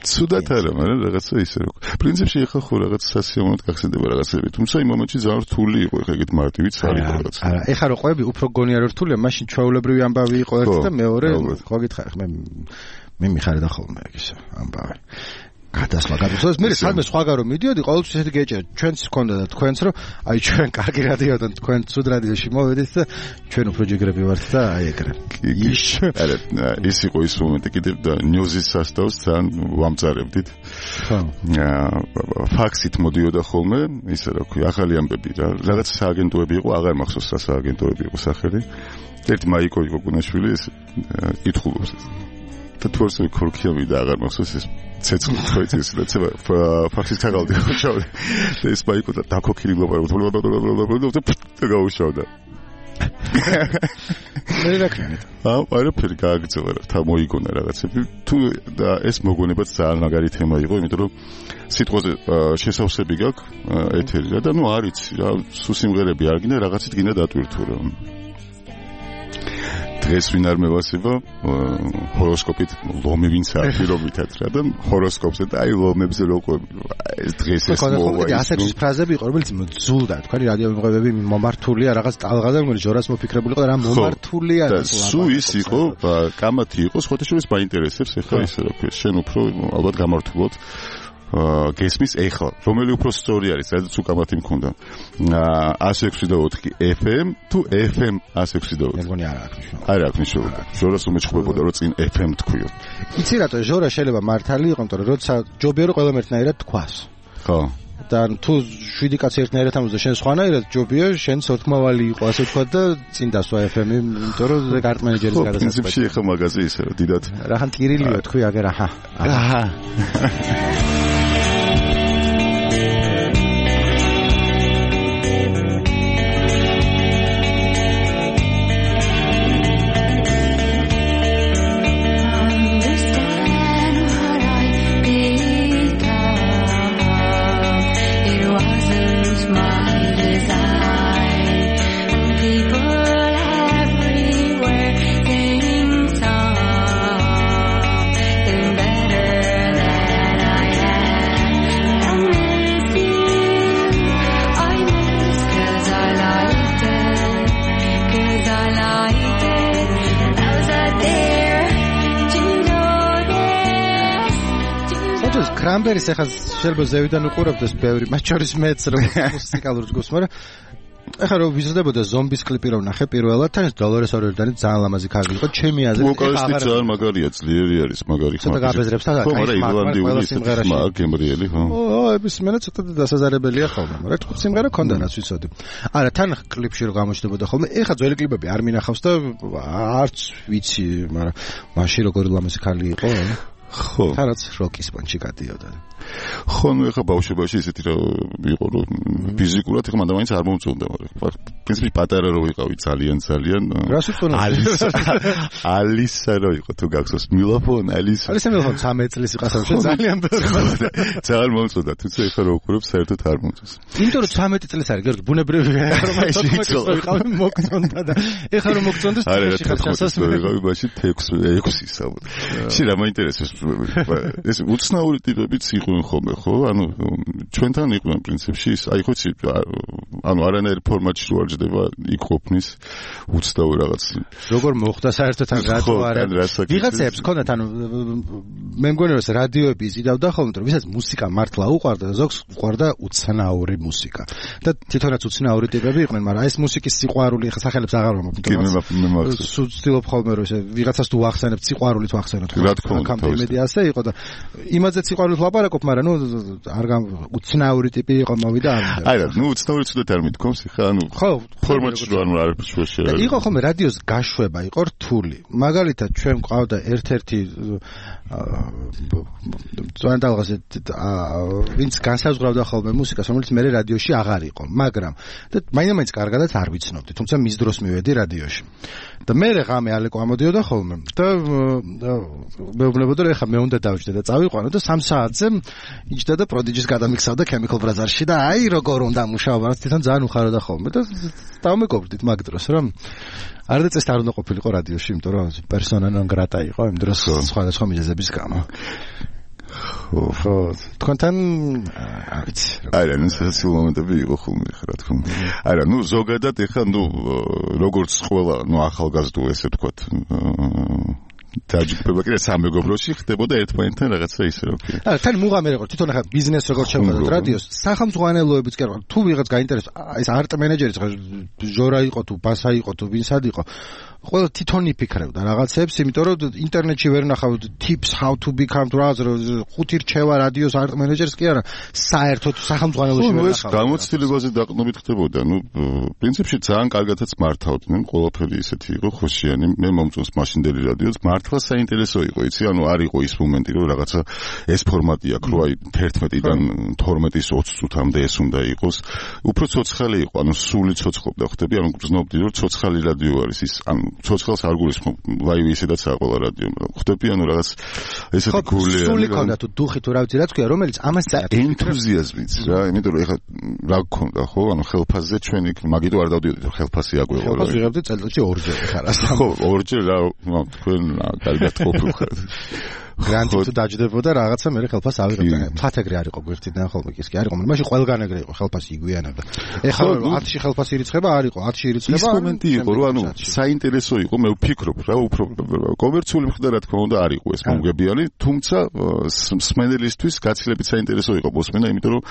ცუდად არა მაგრამ რაღაცა ისე რო პრინციპში ეხა ხო რაღაც სასიამოვნოდ გახსენდება რაღაცები თუმცა იმ მომენტში ძალიან რთული იყო ეხა ეგეთ მარტივიც არის რაღაც არა ეხა რო ყვები უფრო გონია რომ რთულია მაშინ ჩვეულებრივი ამბავი იყო ერთი და მეორე ხო გითხარ მე მე მიხარდა ხოლმე ისე ამბავი გადასვლა გადასვლა მე სადმე სხვაგან რომ მიდიოდი ყოველთვის ესეთი გეჭირა ჩვენც ჰქონდა და თქვენც რომ აი ჩვენ კარგი რადიოდან თქვენ ცუდ რადიოში მოვედით და ჩვენ უფრო ჯიგრები ვართ და აი ეგრე ის არა ის იყო ის მომენტი კიდევ და ნიუზის სასტავს ძალიან ვამწარებდით ხო ფაქსით მოდიოდა ხოლმე ისე რა ქვია ახალი ამბები რა რაღაც სააგენტოები იყო აღარ მახსოვს რა სააგენტოები იყო სახელი ერთი მაიკო იყო გუნაშვილი ეს ითხოვს და თორსი ქორქიავი და აღარ მახსოვს ეს ცეცხლი თქოიც ეს და ცება ფაქსის თაღალდი ხოჭავდი და ეს მაიკო და დაქოქილი ლაპარაკობდა და გაუშავდა მე რა ქნით აუ არაფერი გააგრძელა რა თა მოიგონა რაღაცები თუ და ეს მოგონებაც ძალიან მაგარი თემა იყო იმიტომ რომ სიტყვაზე შესავსები გაქვს ეთერი რა და ნუ არიცი რა სულ სიმღერები არ გინდა რაღაცით გინდა დატვირთო რა დღეს ვინ არ მევასება ჰოროსკოპით ლომი ვინც აფირობითად რა და ჰოროსკოპზე და აი ლომებზე როგორ ეს დღეს ეს მოვა ის ასეთი ფრაზები იყო რომელიც ძულდა თქვენი რადიო მომღებები მომართულია რაღაც ტალღაზე რომელიც ჯორას მოფიქრებული იყო და რა მომართულია და სუ ის იყო კამათი იყო სხვათა შორის მაინტერესებს ეხლა ისე რა ქვია შენ უფრო ალბათ გამართულოთ გესმის ეხლა რომელი უფრო სწორი არის სადაც უკამათი მქონდა one oh six point four ეფ ემ თუ ეფ ემ one oh six point four მე მგონი არ აქვს მნიშვნელობა არ აქვს მნიშვნელობა ჟორას უმეჩხუბებოდა რომ წინ ეფ ემ თქვიო იცი რატო ჟორა შეიძლება მართალი იყო იმიტომ რომ როცა ჯობია რომ ყველამ ერთნაირად თქვას ხო და თუ შვიდი კაცი ერთნაირად ამბობს და შენ სხვანაირად ჯობია შენ სორთმავალი იყო ასე თქვა და წინ დასვა ეფ ემ-ი იმიტომ რომ ეგ არტ მენეჯერის გადასაწყვეტი პრინციპში ეხა მაგაზე ისე რა დიდად რახან ტირილიო თქვი აგერ აჰა აჰა კრამბერის ახლა შეიძლება ზევიდან უყურებდეს ბევრი მათ შორის მეც რომ მუსიკალურ ჯგუფს მაგრამ ახლა რომ ვიზრდებოდა ზომბის კლიპი რომ ნახე პირველად თან ეს დოლორეს ორერდანი ძალიან ლამაზი ქალი იყო ჩემი აზრით ვოკალისტი ძალიან მაგარია ძლიერი არის მაგარი ხმა ცოტა გაბეზრებს და კაი მაგარი სიმღერაში მაგ გემრიელი ხო ო ეს მენა ცოტა დასაზარებელია ხოლმე მაგრამ თქვა სიმღერა ქონდა რაც ვიცოდი არა თან კლიპში რომ გამოჩნდებოდა ხოლმე ეხლა ძველი კლიპები არ მინახავს და არც ვიცი მაგრამ მაშინ როგორი ლამაზი ქალი იყო ხო. თანაც როკის პონჩი გადიოდა. ხო, ნუ ეხა ბავშვობაში ისეთი რა იყო, რომ ფიზიკურად ეხა მანდ მაინც არ მომწონდა, მაგრამ პრინციპი პატარა რო ვიყავი ძალიან ძალიან რას უწონა? ალისა ალისა რო იყო თუ გახსოვს მილოფონ ალისა. ალისა მილოფონ ცამეტ წლის იყასავ ძალიან ბევრი. ძალიან მომწონდა, თუმცა ეხა რო ვუყურებ საერთოდ არ მომწონს. იმიტომ რომ ცამეტ წლის არის, გიორგი, ბუნებრივია, რომ ვიყავი მოგწონდა და ეხა რომ მოგწონდეს თეში ხარ ჩასასვლელი. ვიყავი მაშინ ექვსი საბუთ. შენ რა მაინტერესებს ეს უცნაური ტიპებიც იყვნენ ხოლმე, ხო? ანუ ჩვენთან იყვნენ პრინციპში, აი ხო იცი, ანუ არანაირ ფორმატში რო არ ჯდება იქ ყოფნის უცნაური რაღაც. როგორ მოხდა საერთოდ ან რატო არა? ვიღაცებს ქონდათ, ანუ მე მგონი რომ რადიოები იზიდავდა ხოლმე, რომ ვისაც მუსიკა მართლა უყვარდა და ზოგს უყვარდა უცნაური მუსიკა. და თვითონაც უცნაური ტიპები იყვნენ, მაგრამ ეს მუსიკის სიყვარული ხა სახელებს აღარ ვამბობ. კი, მე მახსოვს. სულ ვცდილობ ხოლმე რომ ვიღაცას თუ ვახსენებ სიყვარულით ვახსენოთ. რა თქმა უნდა, კამპემედი ასე იყო და იმაზე სიყვარულით ლაპარაკობ, მაგრამ ნუ არ უცნაური ტიპი იყო მოვიდა არ მინდა. აი რა, ნუ უცნაური ცუდად არ მithქვამს, ხა ანუ ხო, ფორმატში რო ანუ არ შეშერა. იყო ხოლმე რადიოს გაშვება, იყო რთული. მაგალითად ჩვენ ყავდა ერთ-ერთი ძალიან დაღაზე ვინც განსაზღვრავდა ხოლმე მუსიკას, რომელიც მე რადიოში აღარ იყო, მაგრამ და მაინც კარგადაც არ ვიცნობდი, თუმცა მის დროს მივედი რადიოში. და მე ღამე ალეკო ამოდიოდა ხოლმე და მეუბნებოდა რომ ეხა მე უნდა დავჯდე და წავიყვანო და სამ საათზე იჯდა და პროდიჯის გადამიქსავდა Chemical Brothers-ში და აი როგორ უნდა მუშაობა, რაც თვითონ ძალიან უხაროდა ხოლმე და დავმეგობრდით მაგ დროს რომ არც ეს არ უნდა ყოფილიყო რადიოში, იმიტომ რომ persona non grata იყო იმ დროს სხვადასხვა მიზეზების გამო. ხო, თქვენთან არ ვიცი. აი რა, ნუ სასიულ მომენტები იყო ხოლმე, რა თქმა უნდა. აი რა, ნუ ზოგადად ეხა ნუ როგორც ყველა, ნუ ახალგაზრდო ესე ვთქვათ, დაჯგუფება კიდე სამეგობროში ხდებოდა ერთმანეთთან რაღაცა ისე რომ კი. აა თან მუღამე როგორ თვითონ ახლა ბიზნეს როგორ შევხედოთ რადიოს, სახელმძღვანელოებიც კი არა, თუ ვიღაც გაინტერესებს, ეს არტ მენეჯერიც ხა ჟორა იყო თუ ბასა იყო თუ ვინსად იყო. ყველა თვითონ იფიქრებდა რაღაცებს, იმიტომ რომ ინტერნეტში ვერ ნახავთ tips how to become radio ხუთი რჩევა რადიოს არტ მენეჯერს კი არა, საერთოდ სახელმძღვანელოში ვერ ნახავთ. გამოცდილებაზე დაყრდნობით ხდებოდა, ნუ პრინციპში ძალიან კარგადაც მართავდნენ, ყველაფერი ისეთი იყო ხოშიანი, მე მომწონს მაშინდელი რადიოც, მართლა საინტერესო იყო, იცი, ანუ არ იყო ის მომენტი, რომ რაღაცა ეს ფორმატი აქვს, რომ აი თერთმეტიდან თორმეტის ოცი წუთამდე ეს უნდა იყოს. უფრო ცოცხალი იყო, ანუ სული ცოცხლობდა ხდები, ანუ გრძნობდი, რომ ცოცხალი რადიო არის ის, ანუ ცოცხალს არ გულისხმობ, ლაივი ისედაც აყოლა რადიო, ხდები, ანუ რაღაც ესეთი გული. სული ქონდა თუ დუხი თუ რა ვიცი რა თქვია, რომელიც ამას ენთუზიაზმიც რა, იმიტომ რომ ეხლა რა გქონდა, ხო, ანუ ხელფასზე ჩვენ იქ მაგიტო არ დავდიოდით, რომ ხელფასი აგვეღო. ხელფასი ვიღებდი წელიწადში ორჯერ ხარ ასე. ხო, ორჯერ რა, თქვენ კარგად ყოფილიყავთ. გრანტი თუ დაჯდებოდა რაღაცა მე ხელფას ავიღებდა. ფათეგრი არ იყო გვერდიდან ხოლმე ის კი არ იყო, მაშინ ყველგან ეგრე იყო, ხელფასი იგვიანებდა. ეხლა ათში ხელფასი ირიცხება, არ იყო ათში ირიცხება. ის მომენტი იყო, რომ ანუ საინტერესო იყო, მე ვფიქრობ რა, უფრო კომერციული მხრიდან რა თქმა უნდა არ იყო ეს მომგებიანი, თუმცა მსმენელისთვის გაცილებით საინტერესო იყო მოსმენა, იმიტომ რომ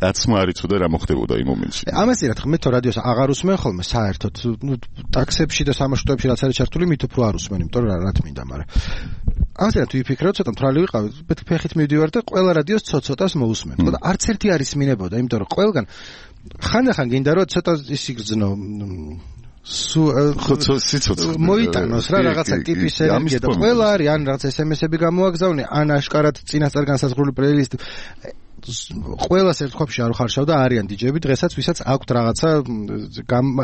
კაცმა არ იცოდა რა მოხდებოდა იმ მომენტში. ამას რა თქმა მე თო რადიოს აღარ უსმენ ხოლმე საერთოდ, ნუ ტაქსებში და სამაშტოებში რაც არის ჩართული, მით უფრო არ უსმენ, იმიტომ რომ რა თქმა მაგრამ ამას რა თუ ვიფიქროთ, ცოტა მთვრალი ვიყავი, ფეხით მივდივარ და ყველა რადიოს ცოტ-ცოტას მოусმენ. და არც ერთი არ ისმინებოდა, იმიტომ რომ ყველგან ხანდახან გინდა რომ ცოტა ის იგრძნო სუ სიცოცხლე მოიტანოს რა რაღაცა ტიპის ენერგია და ყველა არის ან რაღაც ეს ემ ესები გამოაგზავნე, ან აშკარად წინასწარ განსაზღვრული პლეილისტი. ყველას ერთ ყოფში არ ხარშავდა არიან დიჯეები, დღესაც ვისაც აქვთ რაღაცა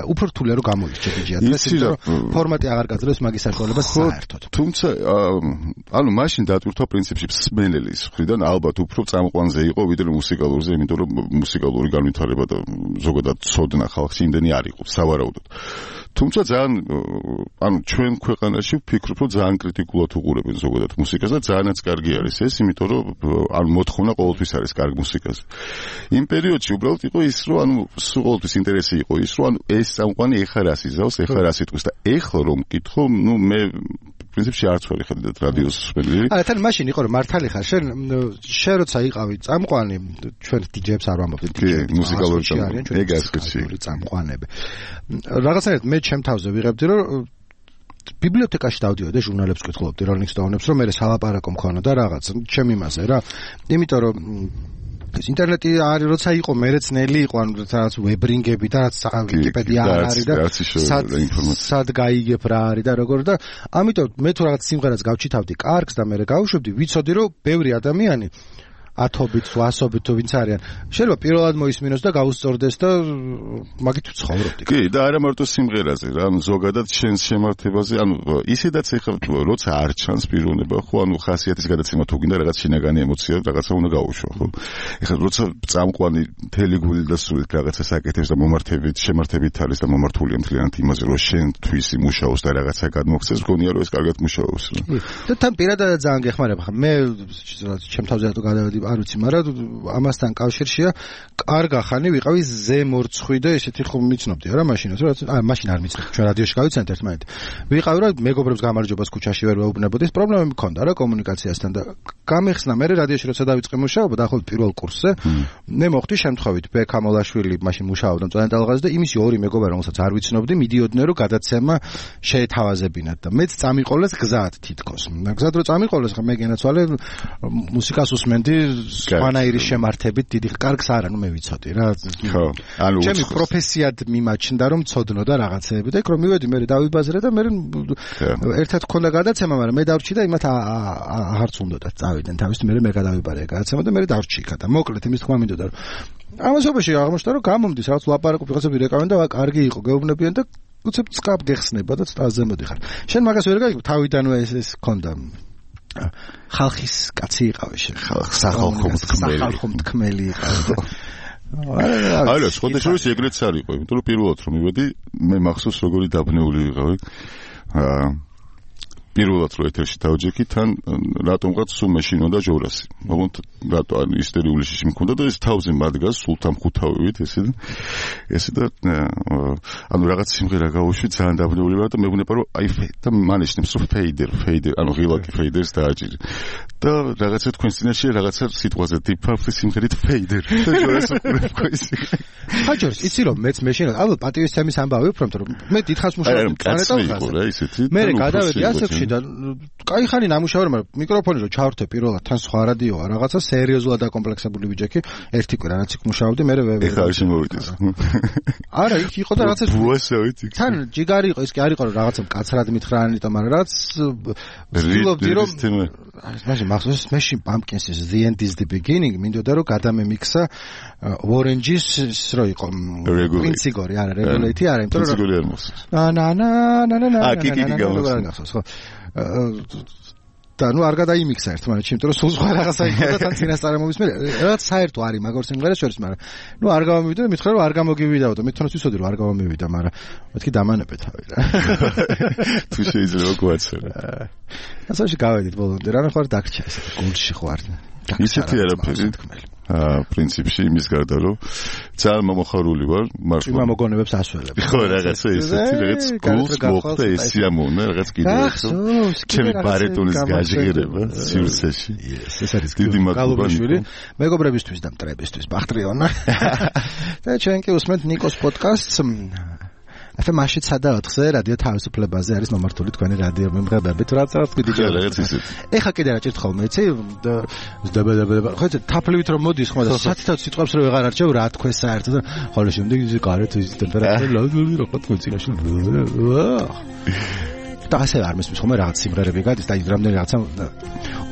უფრო რთულია რომ გამოიჩე დიჯეა. დღეს იმიტომ ფორმატი აღარ გაძლევს მაგის საშუალებას საერთოდ. თუმცა ანუ მაშინ დატვირთვა პრინციპში მსმენელის მხრიდან ალბათ უფრო წამყვანზე იყო ვიდრე მუსიკალურზე, იმიტომ რომ მუსიკალური განვითარება და ზოგადად ცოდნა ხალხში იმდენი არ იყო სავარაუდოდ. თუმცა ძალიან ანუ ჩვენ ქვეყანაში ვფიქრობ რომ ძალიან კრიტიკულად უყურებენ ზოგადად მუსიკას და ძალიანაც კარგი არის ეს, იმიტომ რომ ანუ მოთხოვნა ყოველთვის არის კარგი მუსიკაზე. იმ პერიოდში უბრალოდ იყო ის რომ ანუ სულ ყოველთვის ინტერესი იყო ის რომ ანუ ეს წამყვანი ეხა რას იზავს, ეხა რას იტყვის და ეხლა რომ მკითხო, ნუ მე პრინციპში არც ვარ ხედავთ რადიოს მსმენელი. აა თან მაშინ იყო რომ მართალი ხარ შენ შენ როცა იყავი წამყვანი, ჩვენ დიჯეებს არ ვამბობთ, მუსიკალური წამყვანი, ეგ ასეთი წამყვანები. რაღაცნაირად მე ჩემ თავზე ვიღებდი რომ ბიბლიოთეკაში დავდიოდი, ჟურნალებს ვკითხულობდი, Rolling Stone-ებს, რომ მე სალაპარაკო მქონოდა რაღაც ჩემ იმაზე რა. იმიტომ რომ ეს ინტერნეტი არის როცა იყო მეც ნელი იყო ანუ რაღაც ვებრინგები და რაც ვიკიპედია არ არის და სად გაიგებ რა არის და როგორ და ამიტომ მე თუ რაღაც სიმღერას გავჩითავდი კარგს და მე გავუშვებდი ვიცოდი რომ ბევრი ადამიანი ათობით ასობით თუ ვინც არიან შეიძლება პირველად მოისმინოს და გაუსწორდეს და მაგით ვცხოვრობდი კი და არა მარტო სიმღერაზე რა ანუ ზოგადად შენს შემართებაზე ანუ ისედაც ეხლა როცა არ ჩანს პიროვნება ხო ანუ ხასიათის გადაცემა თუ გინდა რაღაც შინაგანი ემოცია რაღაცა უნდა გაუშვა ხო ეხლა როცა წამყვანი მთელი გული და სულით რაღაცა საკეთებს და მომართებით შემართებით არის და მომართულია მთლიანად იმაზე რომ შენ თვის იმუშაოს და რაღაცა გადმოგცეს გონია რომ ეს კარგად მუშაობს და თან პირადად ძალიან გეხმარება ხა მე ჩემ თავზე რატო გადავედი არ ვიცი, მაგრამ ამასთან კავშირშია კარგა ხანი ვიყავი ზემორცხვი და ესეთი ხომ მიცნობდი რა მაშინაც რა აა მაშინ არ მიცნობდი ჩვენ რადიოში გავიცანეთ ერთმანეთი ვიყავი რა მეგობრებს გამარჯვებას ქუჩაში ვერ ვეუბნებოდი ეს პრობლემები მქონდა რა კომუნიკაციასთან და გამეხსნა მე რადიოში როცა დავიწყე მუშაობა დაახლოებით პირველ კურსზე მე მოხდი შემთხვევით ბექ ამოლაშვილი მაშინ მუშაობდა მწვანე ტალღაზე და იმისი ორი მეგობარი რომელსაც არ ვიცნობდი მიდიოდნენ რომ გადაცემა შეეთავაზებინათ და მეც წამიყოლეს გზად თითქოს გზად რომ წამიყოლეს ხა მე გენაცვალე მუსიკას უსმენდი სხვანაირი შემართებით დიდი კარგს არა ნუ მე ვიცოდი რა ხო ანუ ჩემი პროფესიად მიმაჩნდა რომ ცოდნო და რაღაცეები და იქ რომ მივედი მე დავიბაზრე და მე ერთად ქონდა გადაცემა მაგრამ მე დავრჩი და იმათ აღარც უნდათ წავიდნენ თავის მე მე გადავიბარე გადაცემა და მე დავრჩი იქა და მოკლედ იმის თქმა მინდოდა რომ ამასობაში აღმოჩნდა რომ გამომდის რაღაც ლაპარაკობ ვიღაცები რეკავენ და კარგი იყო გეუბნებიან და უცებ წკაპ გეხსნება და წაზე მოდიხარ შენ მაგას ვერ გაიგებ თავიდანვე ეს ეს ქონდა ხალხის კაცი იყავი შენ სახალხო მთქმელი სახალხო მთქმელი იყავი არა სხვა შორის ეგრეც არ იყო იმიტომ რომ პირველად რომ მივედი მე მახსოვს როგორი დაბნეული ვიყავი აა პირველად რო ეთერში დავჯექი თან რატომღაც სულ მეშინოდა ჯორასი მაგრამ რატო ან ისტერიული შიში მქონდა და ეს თავზე მადგას სულთან ხუთავივით ესე ესე და ანუ რაღაც სიმღერა გავუშვი ძალიან დაბნეული ვარ და მეგონება რომ აი და მანიშნებს რომ ფეიდერ ფეიდერ ანუ ღილაკი ფეიდერს დააჭირი და რაღაცა თქვენ წინაშე რაღაცა სიტყვაზე დიფაფი სიმღერით ფეიდერ და ჯორას უყურებ ის ხაჯორს იცი რომ მეც მეშინოდა ალბათ პატივის თემის ამბავი უფრო რომ მე დიდხანს მუშაობდი პლანეტაზე მე გადავედი ასეში და კაი ხანი ნამუშევარი მაგრამ მიკროფონი რო ჩავრთე პირველად თან სხვა რადიოა რაღაცა სერიოზულად დაკომპლექსებული ბიჭექი ერთი კვირა რაც იქ მუშაობდი მე ეხლა არ შემოვიდეს არა იქ იყო და რაღაცა ბუასავით იქ თან ჯიგარი იყო ის კი არ იყო რომ რაღაცა მკაცრად მითხრანიტო მაგრამ რაც ვცდილობდი რომ მაშინ მახსოვს მეში Pumpkins-ის The End is the Beginning მინდოდა რომ გადამემიქსა Orange-ის რო იყო პრინციგორი არა რეგულეიტი არა იმიტომ რომ პრინციგორი არ მოსწონს ნა ნა ნა ნა ნა ნა ა კი კი კი გამოსწონს ხო და ნუ არ გადაიმიქსა ერთმანეთში, იმიტომ რომ სულ სხვა რაღაცა იყო და თან წინასწარ მომისმენე. რაც საერთო არის მაგარ სიმღერას შორის, მაგრამ ნუ არ გამომივიდა და მითხრა რომ არ გამოგივიდაო და მე თვითონაც ვიცოდი რომ არ გამომივიდა, მაგრამ მეთქი დამანებე თავი რა. თუ შეიძლება გვაცერა. ასოში გავედით ბოლომდე, რა ხარ დაგჭა ესე გულში ხარ. ისეთი არაფერი თქმელი. აა პრინციპში იმის გარდა რომ ძალიან მომხარული ვარ მართლა იმ მოგონებებს ასველებ ხო რაღაცა ისეთი რაღაც გულს მოხდა ეს სიამოვნე რაღაც კიდევ ჩემი ბარეტონის გაჟღერება სივრცეში ეს არის დიდი მადლობა მეგობრებისთვის და მტრებისთვის ბახტრიონა და ჩვენ კი უსმენთ ნიკოს პოდკასტს ახლა მაშინ სადაოთხზე რადიო თავისუფლებაზე არის მომართული თქვენი რადიო მიმღებები თუ რაც რაღაც კიდე რაღაც ისეთ ეხა კიდე რა ჭირთ ხოლმე იცი ზდებედებება ხო იცი თაფლივით რომ მოდის ხმა და სათითად სიტყვებს რომ ვეღარ არჩევ რა თქვენ საერთოდ ხოლმე შემდეგ ის გარეთ ის ტემპერატურა ლავდული რა თქვენ წინაშე და ასე არ მესმის ხოლმე რაღაც სიმღერები გადის და ის რამდენი რაღაცა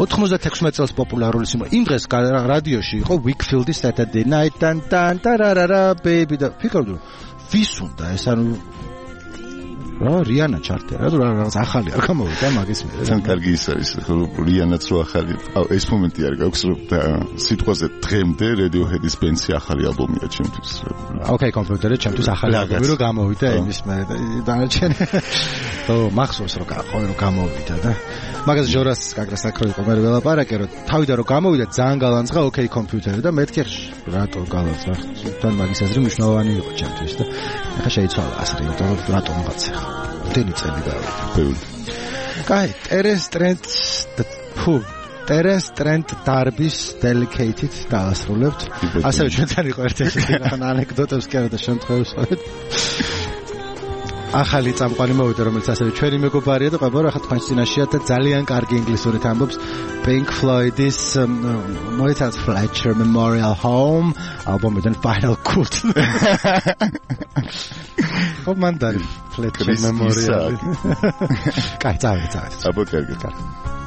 ოთხმოცდათექვსმეტ წელს პოპულარული სიმღერა იმ დღეს რადიოში იყო Wickfield-ის Saturday Night and dan tararara baby და ფიქრობდი ვის უნდა ეს ანუ რა რიანა ჩარტია რა რაღაც ახალი არ გამოვიდა მაგის მე თან კარგი ის არის რომ რიანაც რო ახალი ეს მომენტი არ გაქვს რომ სიტყვაზე დღემდე Radiohead-ის ბენდში ახალი ალბომია ჩემთვის ოკეი კომპიუტერზე ჩემთვის ახალი ალბომი რო გამოვიდა იმის მე დანარჩენი ო მახსოვს რომ რომ გამოვიდა და მაგას ჟორას კაგრას აკრო იყო მე ველაპარაკე რომ თავიდან რომ გამოვიდა ძალიან გალანძღა ოკეი კომპიუტერი და მეთქი რატო გალანძღა თან მაგის აზრი მნიშვნელოვანი იყო ჩემთვის და ახლა შეიცვალა ასე იმიტომ რომ რატომღაც დენი წელი გავიდა. კაი, ტერენს ტრენტ ფუ ტერენს ტრენტ დარბის დელიკეიტით დაასრულებთ. ასევე ჩვენთან იყო ერთ-ერთი ანეკდოტებს კი არა და შემთხვევებს. ახალი წამყვანი მოვიდა, რომელიც ასევე ჩვენი მეგობარია და ყებო რა ხა თქვენს წინაშეა და ძალიან კარგი ინგლისურით ამბობს Pink Floyd-ის მოიცავს Fletcher Memorial Home ალბომიდან Final Cut. ხო მანდარი Fletcher Memorial. კაი, წავედი, წავედი. აბა კარგი.